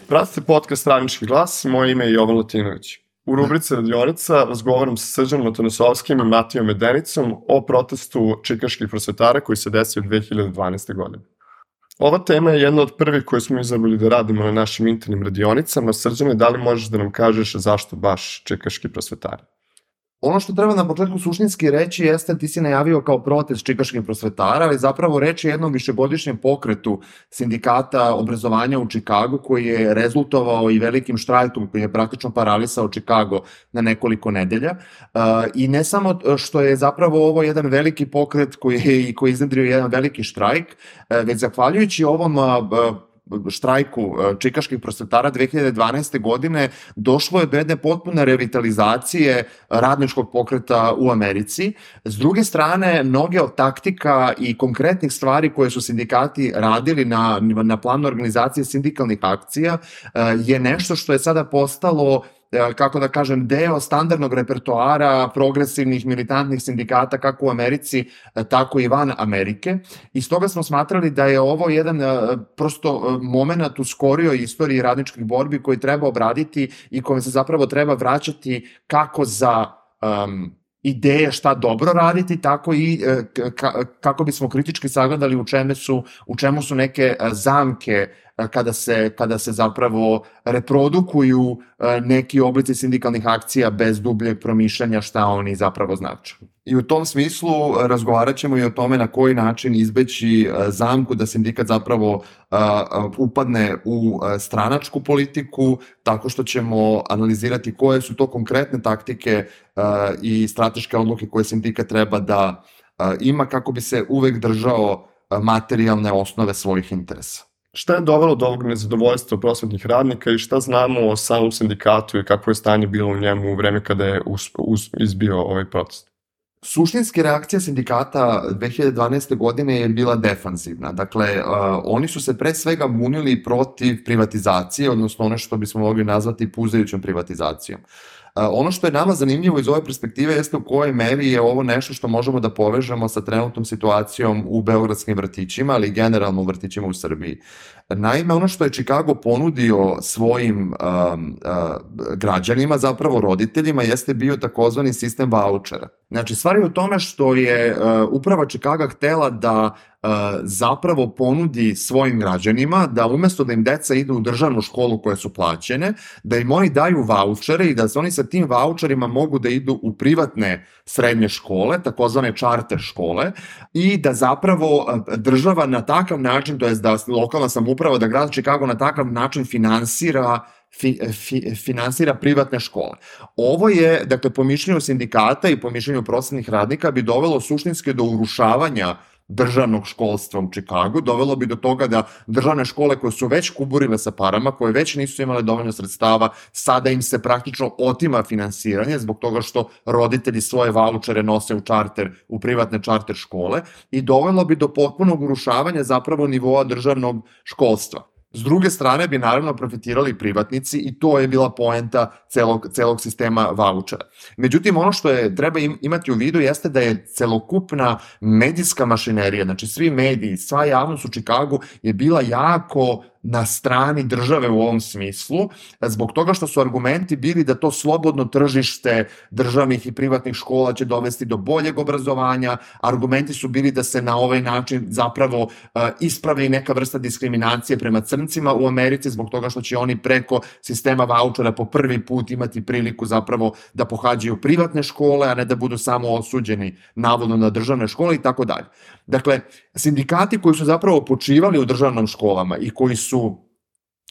Pratite podcast Radnički glas, moje ime je Jovan Latinović. U rubrici Radionica razgovaram sa Srđanom Atanosovskim i Matijom Medenicom o protestu čikaških prosvetara koji se desio dve hiljade dvanaeste. godine. Ova tema je jedna od prvih koje smo izabrali da radimo na našim internim radionicama. Srđane, da li možeš da nam kažeš zašto baš čikaški prosvetari? Ono što treba na početku suštinski reći jeste, ti si najavio kao protest čikaških prosvetara, ali zapravo reč je jednom višegodišnjem pokretu sindikata obrazovanja u Čikagu koji je rezultovao i velikim štrajkom koji je praktično paralisao Čikago na nekoliko nedelja. I ne samo što je zapravo ovo jedan veliki pokret koji je koji iznedrio jedan veliki štrajk, već zahvaljujući ovom štrajku čikaških prosvetara dve hiljade dvanaeste. godine došlo je do jedne potpune revitalizacije radničkog pokreta u Americi. S druge strane, mnoge od taktika i konkretnih stvari koje su sindikati radili na, na planu organizacije sindikalnih akcija je nešto što je sada postalo, kako da kažem, deo standardnog repertoara progresivnih militantnih sindikata kako u Americi, tako i van Amerike. I stoga smo smatrali da je ovo jedan prosto moment u skorijoj istoriji radničkih borbi koji treba obraditi i kome se zapravo treba vraćati kako za um, ideje šta dobro raditi, tako i kako bismo kritički sagledali u čemu su, u čemu su neke zamke kada se, kada se zapravo reprodukuju neki oblici sindikalnih akcija bez dubljeg promišljanja šta oni zapravo znače. I u tom smislu razgovarat ćemo i o tome na koji način izbeći zamku da sindikat zapravo upadne u stranačku politiku, tako što ćemo analizirati koje su to konkretne taktike i strateške odluke koje sindikat treba da ima kako bi se uvek držao materijalne osnove svojih interesa. Šta je dovelo do ovog nezadovoljstva prosvetnih radnika i šta znamo o samom sindikatu i kako je stanje bilo u njemu u vreme kada je us, us, izbio ovaj protest? Suštinski reakcija sindikata dve hiljade dvanaeste. godine je bila defanzivna. Dakle, uh, oni su se pre svega bunili protiv privatizacije, odnosno ono što bismo mogli nazvati puzajućom privatizacijom. Uh, ono što je nama zanimljivo iz ove perspektive jeste u kojoj meri je ovo nešto što možemo da povežemo sa trenutnom situacijom u beogradskim vrtićima, ali generalno u vrtićima u Srbiji. Naime, ono što je Čikago ponudio svojim um, uh, građanima, zapravo roditeljima, jeste bio takozvani sistem vaučera. Znači, stvar je u tome što je uh, uprava Čikaga htela da uh, zapravo ponudi svojim građanima da umesto da im deca idu u državnu školu koje su plaćene, da im oni daju vaučere i da se oni sa tim vaučerima mogu da idu u privatne srednje škole, takozvane čarter škole, i da zapravo država na takav način, to jest da lokalna samouprava, da grad Čikago na takav način finansira Fi, fi, finansira privatne škole. Ovo je, dakle, po mišljenju sindikata i po mišljenju prosvetnih radnika bi dovelo suštinski do urušavanja državnog školstva u Čikagu, dovelo bi do toga da državne škole koje su već kuburile sa parama, koje već nisu imale dovoljno sredstava, sada im se praktično otima finansiranje zbog toga što roditelji svoje vaučere nose u čarter, u privatne čarter škole, i dovelo bi do potpunog urušavanja zapravo nivoa državnog školstva. S druge strane bi naravno profitirali privatnici i to je bila poenta celog, celog sistema vaučera. Međutim, ono što je treba im, imati u vidu jeste da je celokupna medijska mašinerija, znači svi mediji, sva javnost u Čikagu je bila jako na strani države u ovom smislu, zbog toga što su argumenti bili da to slobodno tržište državnih i privatnih škola će dovesti do boljeg obrazovanja, argumenti su bili da se na ovaj način zapravo uh, ispravi neka vrsta diskriminacije prema crncima u Americi, zbog toga što će oni preko sistema vaučera po prvi put imati priliku zapravo da pohađaju privatne škole, a ne da budu samo osuđeni navodno na državne škole i tako dalje. Dakle, sindikati koji su zapravo počivali u državnom školama i koji su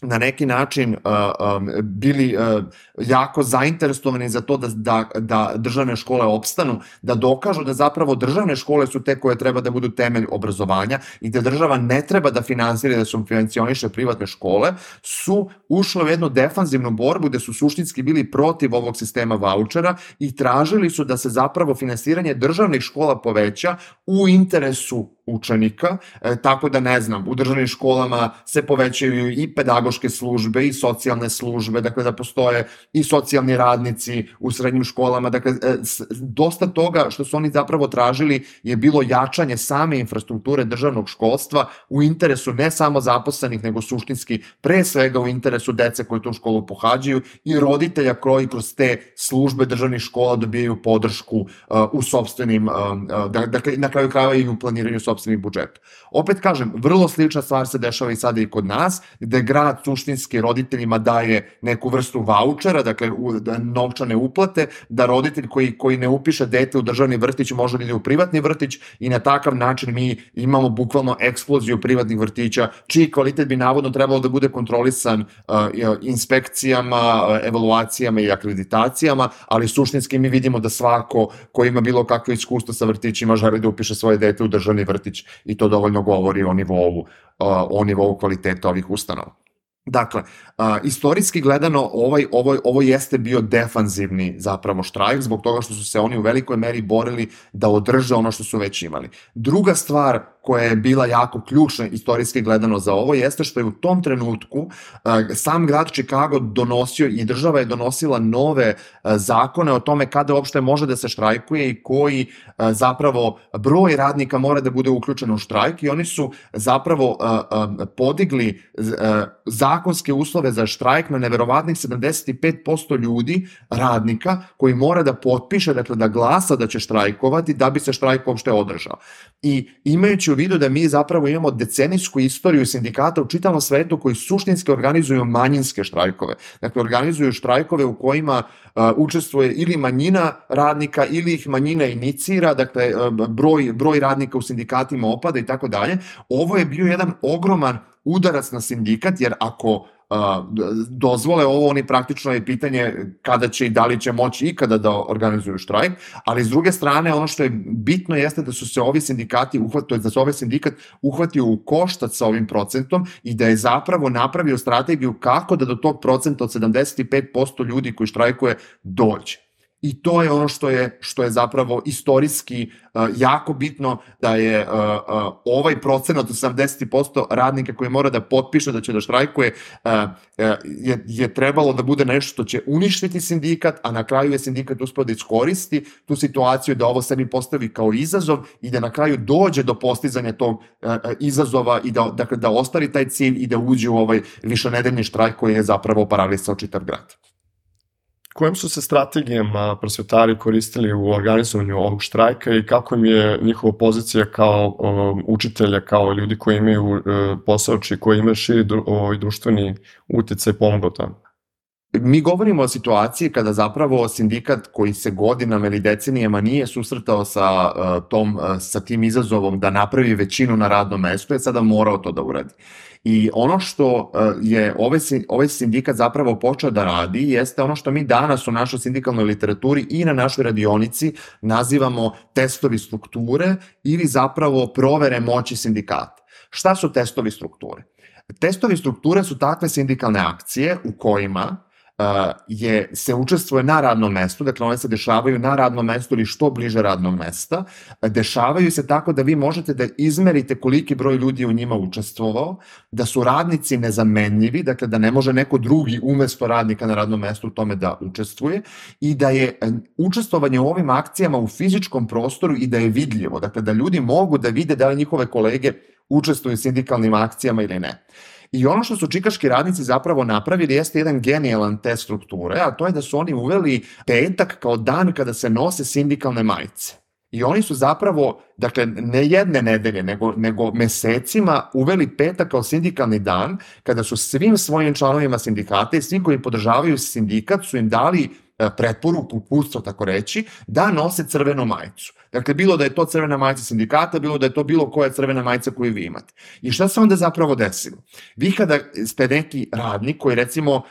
na neki način uh, um, bili uh, jako zainteresovani za to da, da, da državne škole opstanu, da dokažu da zapravo državne škole su te koje treba da budu temelj obrazovanja i da država ne treba da finansira, da subvencioniše privatne škole, su ušle u jednu defanzivnu borbu gde su suštinski bili protiv ovog sistema vaučera i tražili su da se zapravo finansiranje državnih škola poveća u interesu učenika, e, tako da ne znam, u državnim školama se povećaju i pedagoške službe i socijalne službe, dakle da postoje i socijalni radnici u srednjim školama, dakle e, s, dosta toga što su oni zapravo tražili je bilo jačanje same infrastrukture državnog školstva u interesu ne samo zaposlenih, nego suštinski pre svega u interesu dece koji tu školu pohađaju i roditelja koji kroz te službe državnih škola dobijaju podršku uh, u sopstvenim, uh, uh, dakle na kraju krajeva i u planiranju sopstvenih budžeta. Opet kažem, vrlo slična stvar se dešava i sada i kod nas, gde grad suštinski roditeljima daje neku vrstu vaučera, dakle u, novčane uplate, da roditelj koji, koji ne upiše dete u državni vrtić može da ide u privatni vrtić i na takav način mi imamo bukvalno eksploziju privatnih vrtića, čiji kvalitet bi navodno trebalo da bude kontrolisan uh, inspekcijama, uh, evaluacijama i akreditacijama, ali suštinski mi vidimo da svako ko ima bilo kakve iskustvo sa vrtićima želi da upiše svoje dete u državni vrtić i to dovoljno govori o nivou, uh, o nivou kvaliteta ovih ustanova. Dakle, uh, istorijski gledano ovaj, ovo, ovo jeste bio defanzivni zapravo štrajk zbog toga što su se oni u velikoj meri borili da održe ono što su već imali. Druga stvar koja je bila jako ključna istorijski gledano za ovo jeste što je u tom trenutku uh, sam grad Chicago donosio i država je donosila nove uh, zakone o tome kada uopšte može da se štrajkuje i koji uh, zapravo broj radnika mora da bude uključen u štrajk i oni su zapravo uh, uh, podigli uh, zakonske uslove za štrajk na neverovatnih sedamdeset pet posto ljudi, radnika, koji mora da potpiše, dakle da glasa da će štrajkovati da bi se štrajk uopšte održao. I imajući u vidu da mi zapravo imamo decenijsku istoriju sindikata u čitavom svetu koji suštinski organizuju manjinske štrajkove. Dakle, organizuju štrajkove u kojima uh, učestvuje ili manjina radnika ili ih manjina inicira, dakle uh, broj, broj radnika u sindikatima opada i tako dalje. Ovo je bio jedan ogroman udarac na sindikat, jer ako uh, dozvole ovo, oni praktično je pitanje kada će i da li će moći ikada da organizuju štrajk, ali s druge strane ono što je bitno jeste da su se ovi sindikati uhvatili, da se ovaj sindikat uhvatio u koštac sa ovim procentom i da je zapravo napravio strategiju kako da do tog procenta od sedamdeset pet posto ljudi koji štrajkuje dođe. I to je ono što je, što je zapravo istorijski uh, jako bitno, da je uh, uh, ovaj procenat od sedamdeset posto radnika koji mora da potpiše da će da štrajkuje uh, uh, je, je trebalo da bude nešto što će uništiti sindikat, a na kraju je sindikat uspeo da iskoristi tu situaciju da ovo sebi postavi kao izazov i da na kraju dođe do postizanja tog uh, izazova i da, dakle, da ostvari taj cilj i da uđe u ovaj višenedeljni štrajk koji je zapravo paralisao čitav grad. Kojim su se strategijama prosvetari koristili u organizovanju ovog štrajka i kako im je njihova pozicija kao um, učitelja, kao ljudi koji imaju uh, posao, či koji imaju širi dru, ovaj, društveni uticaj pomogao tamo? Mi govorimo o situaciji kada zapravo sindikat koji se godinama ili decenijama nije susretao sa, uh, tom, uh, sa tim izazovom da napravi većinu na radnom mestu je sada morao to da uradi. I ono što je ovaj, ovaj sindikat zapravo počeo da radi jeste ono što mi danas u našoj sindikalnoj literaturi i na našoj radionici nazivamo testovi strukture ili zapravo provere moći sindikata. Šta su testovi strukture? Testovi strukture su takve sindikalne akcije u kojima Uh, je, se učestvuje na radnom mestu, dakle one se dešavaju na radnom mestu ili što bliže radnog mesta, dešavaju se tako da vi možete da izmerite koliki broj ljudi u njima učestvovao, da su radnici nezamenljivi, dakle da ne može neko drugi umesto radnika na radnom mestu u tome da učestvuje i da je učestvovanje u ovim akcijama u fizičkom prostoru i da je vidljivo, dakle da ljudi mogu da vide da li njihove kolege učestvuju u sindikalnim akcijama ili ne. I ono što su čikaški radnici zapravo napravili jeste jedan genijalan test strukture, a to je da su oni uveli petak kao dan kada se nose sindikalne majice. I oni su zapravo, dakle, ne jedne nedelje, nego, nego mesecima uveli petak kao sindikalni dan, kada su svim svojim članovima sindikata i svim koji podržavaju sindikat su im dali preporuku, uputstvo, tako reći, da nose crvenu majicu. Dakle, bilo da je to crvena majica sindikata, bilo da je to bilo koja crvena majica koju vi imate. I šta se onda zapravo desilo? Vi kada ste neki radnik koji recimo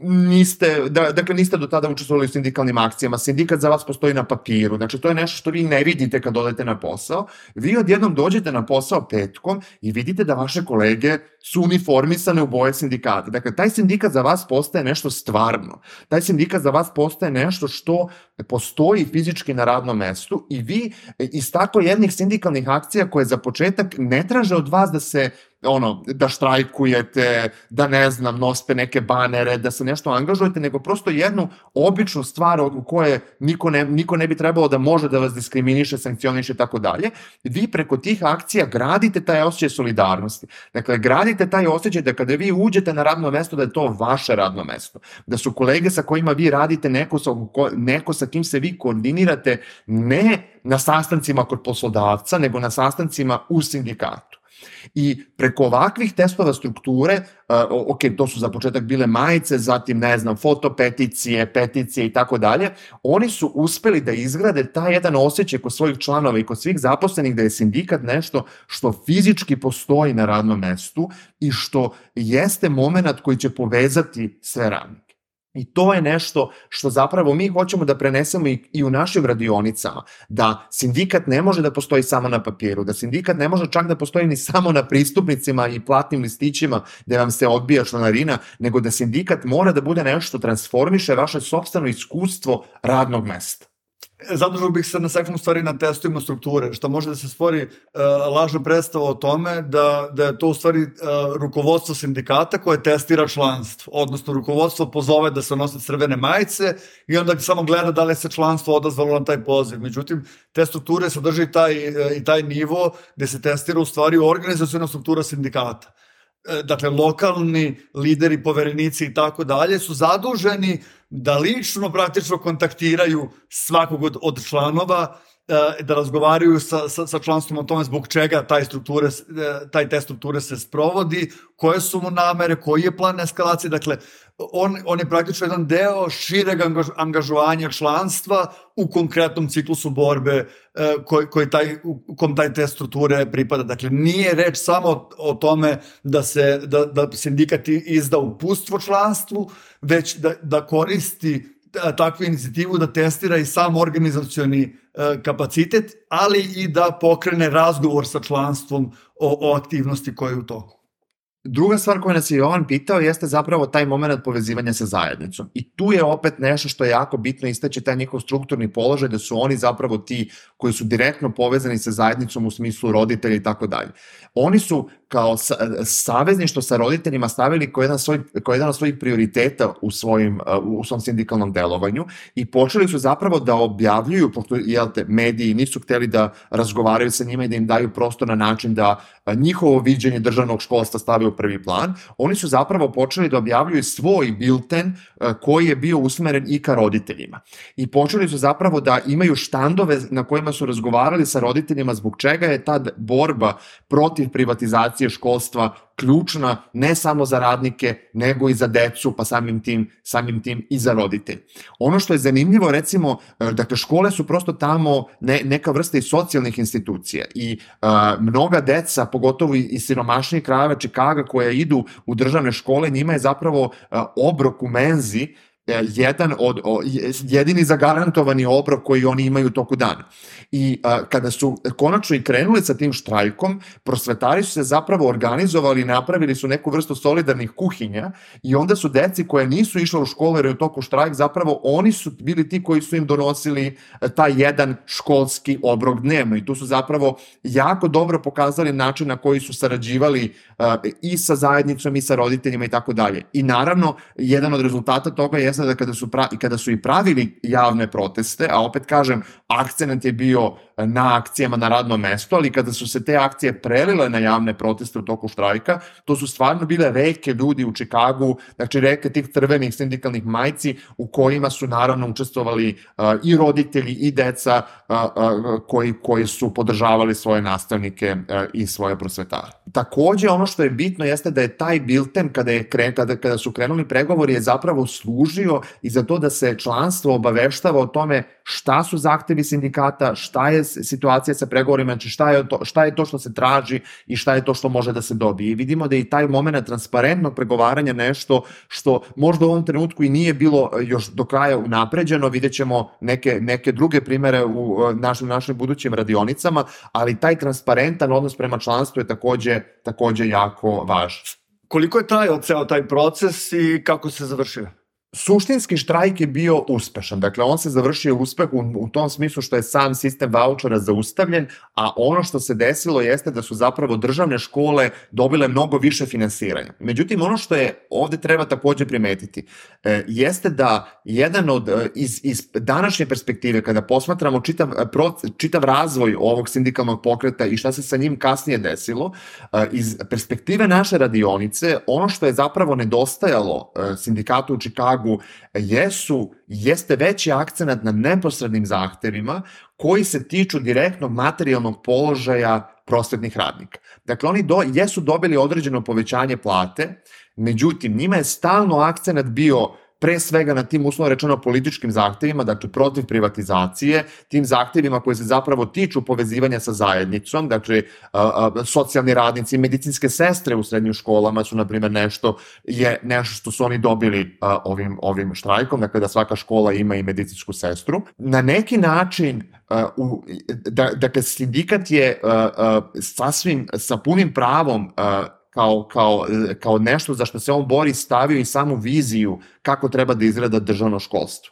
niste, da, dakle niste do tada učestvovali u sindikalnim akcijama, sindikat za vas postoji na papiru, znači to je nešto što vi ne vidite kad odete na posao, vi odjednom dođete na posao petkom i vidite da vaše kolege su uniformisane u boje sindikata. Dakle, taj sindikat za vas postaje nešto stvarno, taj sindikat za vas postaje nešto što postoji fizički na radnom mestu i vi iz tako jednih sindikalnih akcija koje za početak ne traže od vas da se ono, da štrajkujete, da ne znam, nosite neke banere, da se nešto angažujete, nego prosto jednu običnu stvar u koje niko ne, niko ne bi trebalo da može da vas diskriminiše, sankcioniše i tako dalje. Vi preko tih akcija gradite taj osjećaj solidarnosti. Dakle, gradite taj osjećaj da kada vi uđete na radno mesto, da je to vaše radno mesto. Da su kolege sa kojima vi radite neko sa, neko sa kim se vi koordinirate ne na sastancima kod poslodavca, nego na sastancima u sindikatu. I preko ovakvih testova strukture, uh, ok, to su za početak bile majice, zatim, ne znam, fotopeticije, peticije i tako dalje, oni su uspeli da izgrade taj jedan osjećaj kod svojih članova i kod svih zaposlenih da je sindikat nešto što fizički postoji na radnom mestu i što jeste moment koji će povezati sve radnike. I to je nešto što zapravo mi hoćemo da prenesemo i, i u našim radionicama, da sindikat ne može da postoji samo na papiru, da sindikat ne može čak da postoji ni samo na pristupnicima i platnim listićima gde vam se odbija članarina, nego da sindikat mora da bude nešto što transformiše vaše sopstveno iskustvo radnog mesta. Zadržao bih se na sekund stvari na testovima strukture, što može da se stvori uh, lažna predstava o tome da, da je to u stvari uh, rukovodstvo sindikata koje testira članstvo, odnosno rukovodstvo pozove da se nose crvene majice i onda samo gleda da li se članstvo odazvalo na taj poziv. Međutim, te strukture sadrži taj, uh, i taj nivo gde se testira u stvari organizaciona struktura sindikata. Dakle, lokalni lideri, poverenici i tako dalje su zaduženi da lično praktično kontaktiraju svakog od, od članova, da razgovaraju sa, sa, sa članstvom o tome zbog čega taj, strukture, taj test strukture se sprovodi, koje su mu namere, koji je plan eskalacije. Dakle, on, on je praktično jedan deo šireg angaž, angažovanja članstva u konkretnom ciklusu borbe koji, koji taj, u kom taj test strukture pripada. Dakle, nije reč samo o tome da, se, da, da sindikat izda uputstvo članstvu, već da, da koristi takvu inicijativu da testira i sam organizacioni kapacitet, ali i da pokrene razgovor sa članstvom o, o aktivnosti koje je u toku. Druga stvar koju nas je Jovan pitao jeste zapravo taj moment povezivanja sa zajednicom. I tu je opet nešto što je jako bitno istaći, taj njihov strukturni položaj, da su oni zapravo ti koji su direktno povezani sa zajednicom u smislu roditelja i tako dalje. Oni su kao savezništvo sa roditeljima stavili kao jedan, svoj, kao jedan od svojih prioriteta u, svojim, u svom sindikalnom delovanju i počeli su zapravo da objavljuju, pošto jelte, mediji nisu hteli da razgovaraju sa njima i da im daju prostor na način da njihovo viđenje državnog školstva stave u prvi plan, oni su zapravo počeli da objavljuju svoj bilten koji je bio usmeren i ka roditeljima. I počeli su zapravo da imaju štandove na kojima su razgovarali sa roditeljima zbog čega je ta borba protiv privatizacije školstva ključna ne samo za radnike, nego i za decu, pa samim tim, samim tim i za roditelje. Ono što je zanimljivo, recimo, dakle, škole su prosto tamo ne, neka vrsta i socijalnih institucija i a, mnoga deca, pogotovo iz siromašnijih krajeva Čikaga koja idu u državne škole, njima je zapravo a, obrok u menzi jedan od, o, jedini zagarantovani obrok koji oni imaju toku dana. I a, kada su konačno i krenuli sa tim štrajkom, prosvetari su se zapravo organizovali, napravili su neku vrstu solidarnih kuhinja i onda su deci koje nisu išle u školu jer je u toku štrajk, zapravo oni su bili ti koji su im donosili taj jedan školski obrok dnevno i tu su zapravo jako dobro pokazali način na koji su sarađivali a, i sa zajednicom i sa roditeljima i tako dalje. I naravno, jedan od rezultata toga je da kada su, pra, kada su i pravili javne proteste, a opet kažem, akcenat je bio na akcijama na radnom mestu, ali kada su se te akcije prelile na javne proteste u toku štrajka, to su stvarno bile reke ljudi u Čikagu, znači reke tih crvenih sindikalnih majci u kojima su naravno učestvovali uh, i roditelji i deca uh, uh, koji, koji su podržavali svoje nastavnike uh, i svoje prosvetare. Takođe, ono što je bitno jeste da je taj bilten kada, je kren, kada, kada su krenuli pregovori je zapravo služio i za to da se članstvo obaveštava o tome šta su zahtevi sindikata, šta je situacija sa pregovorima, znači šta je to, šta je to što se traži i šta je to što može da se dobije. I vidimo da je i taj moment transparentnog pregovaranja nešto što možda u ovom trenutku i nije bilo još do kraja unapređeno, vidjet ćemo neke, neke druge primere u našim, našim budućim radionicama, ali taj transparentan odnos prema članstvu je takođe, takođe jako važan. Koliko je trajao ceo taj proces i kako se završio? Suštinski štrajk je bio uspešan, dakle on se završio uspeh u, u tom smislu što je sam sistem vaučera zaustavljen, a ono što se desilo jeste da su zapravo državne škole dobile mnogo više finansiranja. Međutim, ono što je ovde treba takođe primetiti, e, jeste da jedan od, iz, iz današnje perspektive, kada posmatramo čitav, čitav razvoj ovog sindikalnog pokreta i šta se sa njim kasnije desilo, e, iz perspektive naše radionice, ono što je zapravo nedostajalo e, sindikatu u Čikagu jesu, jeste veći akcenat na neposrednim zahtevima koji se tiču direktnog materijalnog položaja prosvetnih radnika. Dakle, oni do, jesu dobili određeno povećanje plate, međutim, njima je stalno akcenat bio pre svega na tim uslovno rečeno političkim zahtevima, dakle protiv privatizacije, tim zahtevima koji se zapravo tiču povezivanja sa zajednicom, dakle socijalni radnici, medicinske sestre u srednjim školama su, na primjer, nešto, je nešto što su oni dobili ovim, ovim štrajkom, dakle da svaka škola ima i medicinsku sestru. Na neki način, u, da, dakle, sindikat je sasvim sa punim pravom Kao, kao, kao nešto za što se on bori stavio i samu viziju kako treba da izgleda državno školstvo.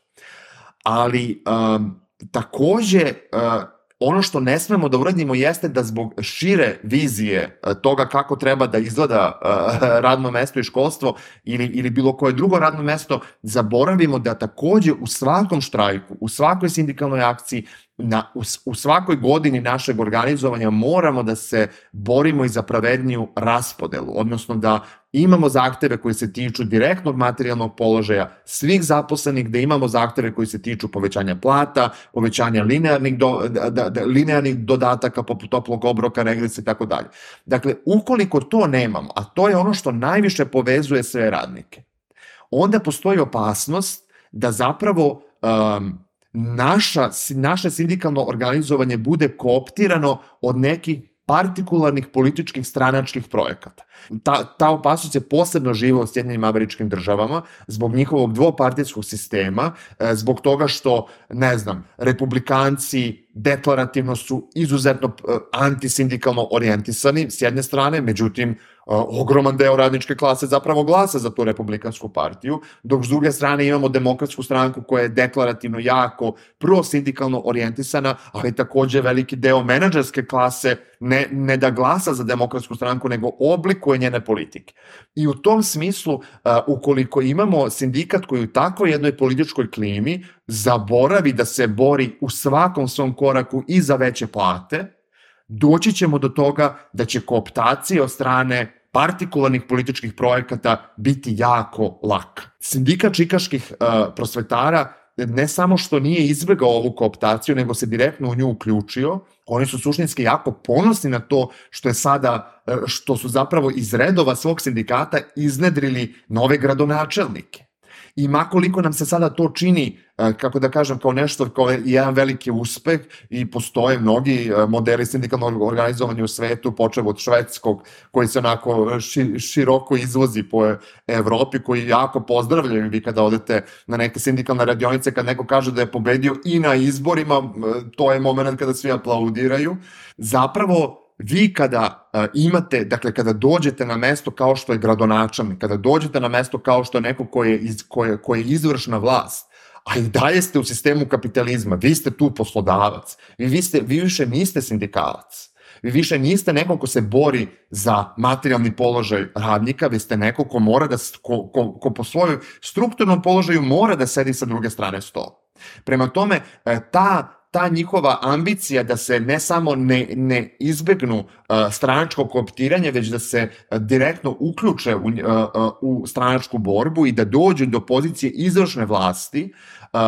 Ali um, takođe uh, ono što ne smemo da uradimo jeste da zbog šire vizije uh, toga kako treba da izgleda uh, radno mesto i školstvo ili, ili bilo koje drugo radno mesto, zaboravimo da takođe u svakom štrajku, u svakoj sindikalnoj akciji, Na, u, u svakoj godini našeg organizovanja moramo da se borimo i za pravedniju raspodelu, odnosno da imamo zahteve koji se tiču direktnog materijalnog položaja svih zaposlenih, da imamo zahteve koji se tiču povećanja plata, povećanja linearnih, do, da, da, linearnih dodataka poput toplog obroka, regresa i tako dalje. Dakle, ukoliko to nemamo, a to je ono što najviše povezuje sve radnike, onda postoji opasnost da zapravo um, Naša, naše sindikalno organizovanje bude kooptirano od nekih partikularnih političkih stranačkih projekata. Ta, ta opasnost je posebno živa u Sjedinjenim Američkim Državama zbog njihovog dvopartijskog sistema, zbog toga što, ne znam, republikanci deklarativno su izuzetno antisindikalno orijentisani s jedne strane, međutim, ogroman deo radničke klase zapravo glasa za tu republikansku partiju, dok s druge strane imamo demokratsku stranku koja je deklarativno jako prosindikalno orijentisana, ali takođe veliki deo menadžerske klase ne, ne da glasa za demokratsku stranku, nego oblikuje njene politike. I u tom smislu, uh, ukoliko imamo sindikat koji u takvoj jednoj političkoj klimi zaboravi da se bori u svakom svom koraku i za veće plate, doći ćemo do toga da će kooptacija od strane partikularnih političkih projekata biti jako laka. Sindikat čikaških uh, prosvetara ne samo što nije izbegao ovu kooptaciju, nego se direktno u nju uključio. Oni su suštinski jako ponosni na to što je sada, što su zapravo iz redova svog sindikata iznedrili nove gradonačelnike. I makoliko nam se sada to čini, kako da kažem, kao nešto, kao jedan veliki uspeh i postoje mnogi modeli sindikalnog organizovanja u svetu, počev od švedskog, koji se onako široko izvozi po Evropi, koji jako pozdravljaju. Vi kada odete na neke sindikalne radionice, kad neko kaže da je pobedio i na izborima, to je moment kada svi aplaudiraju. Zapravo, vi kada uh, imate, dakle kada dođete na mesto kao što je gradonačelnik, kada dođete na mesto kao što je neko koji je, iz, koji, koji je izvršna vlast, a i dalje ste u sistemu kapitalizma, vi ste tu poslodavac, vi, vi, ste, vi više niste sindikalac, vi više niste neko ko se bori za materijalni položaj radnika, vi ste neko ko mora da, ko, ko, ko po svojom strukturnom položaju mora da sedi sa druge strane stola. Prema tome, ta ta njihova ambicija da se ne samo ne, ne izbegnu uh, stranačko kooptiranje, već da se uh, direktno uključe u, uh, uh, u stranačku borbu i da dođu do pozicije izvršne vlasti, uh,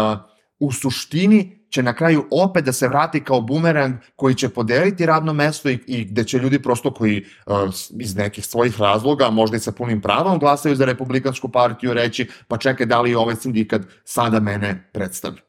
u suštini će na kraju opet da se vrati kao bumerang koji će podeliti radno mesto i, i gde će ljudi prosto koji uh, iz nekih svojih razloga, možda i sa punim pravom, glasaju za Republikansku partiju reći pa čekaj, da li ovaj sindikat sada mene predstavlja.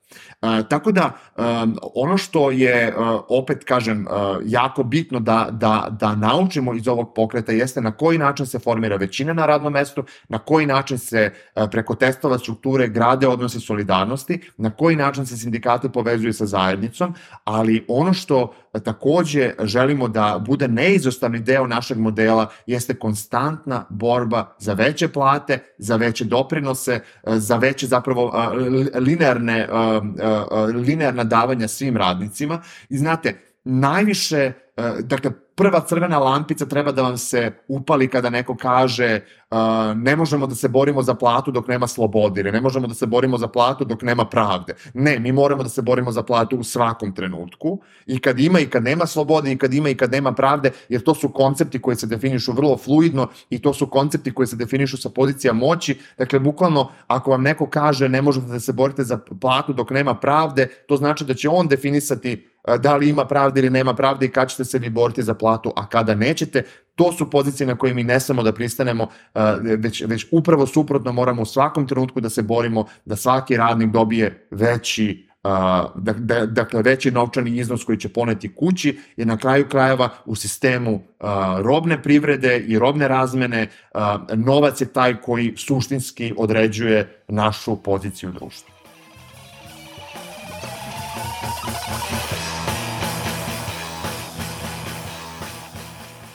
Uh, tako da, um, ono što je, uh, opet kažem, uh, jako bitno da, da, da naučimo iz ovog pokreta jeste na koji način se formira većina na radnom mestu, na koji način se uh, preko testova strukture grade odnosi solidarnosti, na koji način se sindikati povezuju sa zajednicom, ali ono što takođe želimo da bude neizostavni deo našeg modela jeste konstantna borba za veće plate, za veće doprinose, za veće zapravo linearne, linearna davanja svim radnicima. I znate, najviše, dakle, prva crvena lampica treba da vam se upali kada neko kaže uh, ne možemo da se borimo za platu dok nema slobode, ili ne možemo da se borimo za platu dok nema pravde. Ne, mi moramo da se borimo za platu u svakom trenutku, i kad ima i kad nema slobode, i kad ima i kad nema pravde, jer to su koncepti koji se definišu vrlo fluidno i to su koncepti koji se definišu sa pozicija moći. Dakle, bukvalno, ako vam neko kaže ne možete da se borite za platu dok nema pravde, to znači da će on definisati da li ima pravde ili nema pravde i kada ćete se vi boriti za platu, a kada nećete. To su pozicije na koje mi ne samo da pristanemo, već, već upravo suprotno, moramo u svakom trenutku da se borimo da svaki radnik dobije veći, dakle veći novčani iznos koji će poneti kući, jer na kraju krajeva u sistemu robne privrede i robne razmene novac je taj koji suštinski određuje našu poziciju u društvu.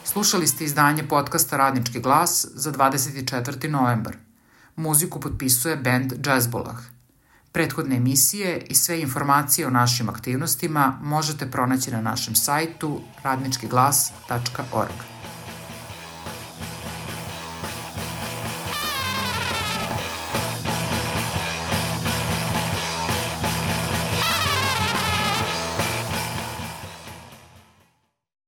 Slušali ste izdanje podcasta Radnički glas za dvadeset četvrti novembar. Muziku potpisuje bend Jazzbolah. Prethodne emisije i sve informacije o našim aktivnostima možete pronaći na našem sajtu radnički glas tačka org.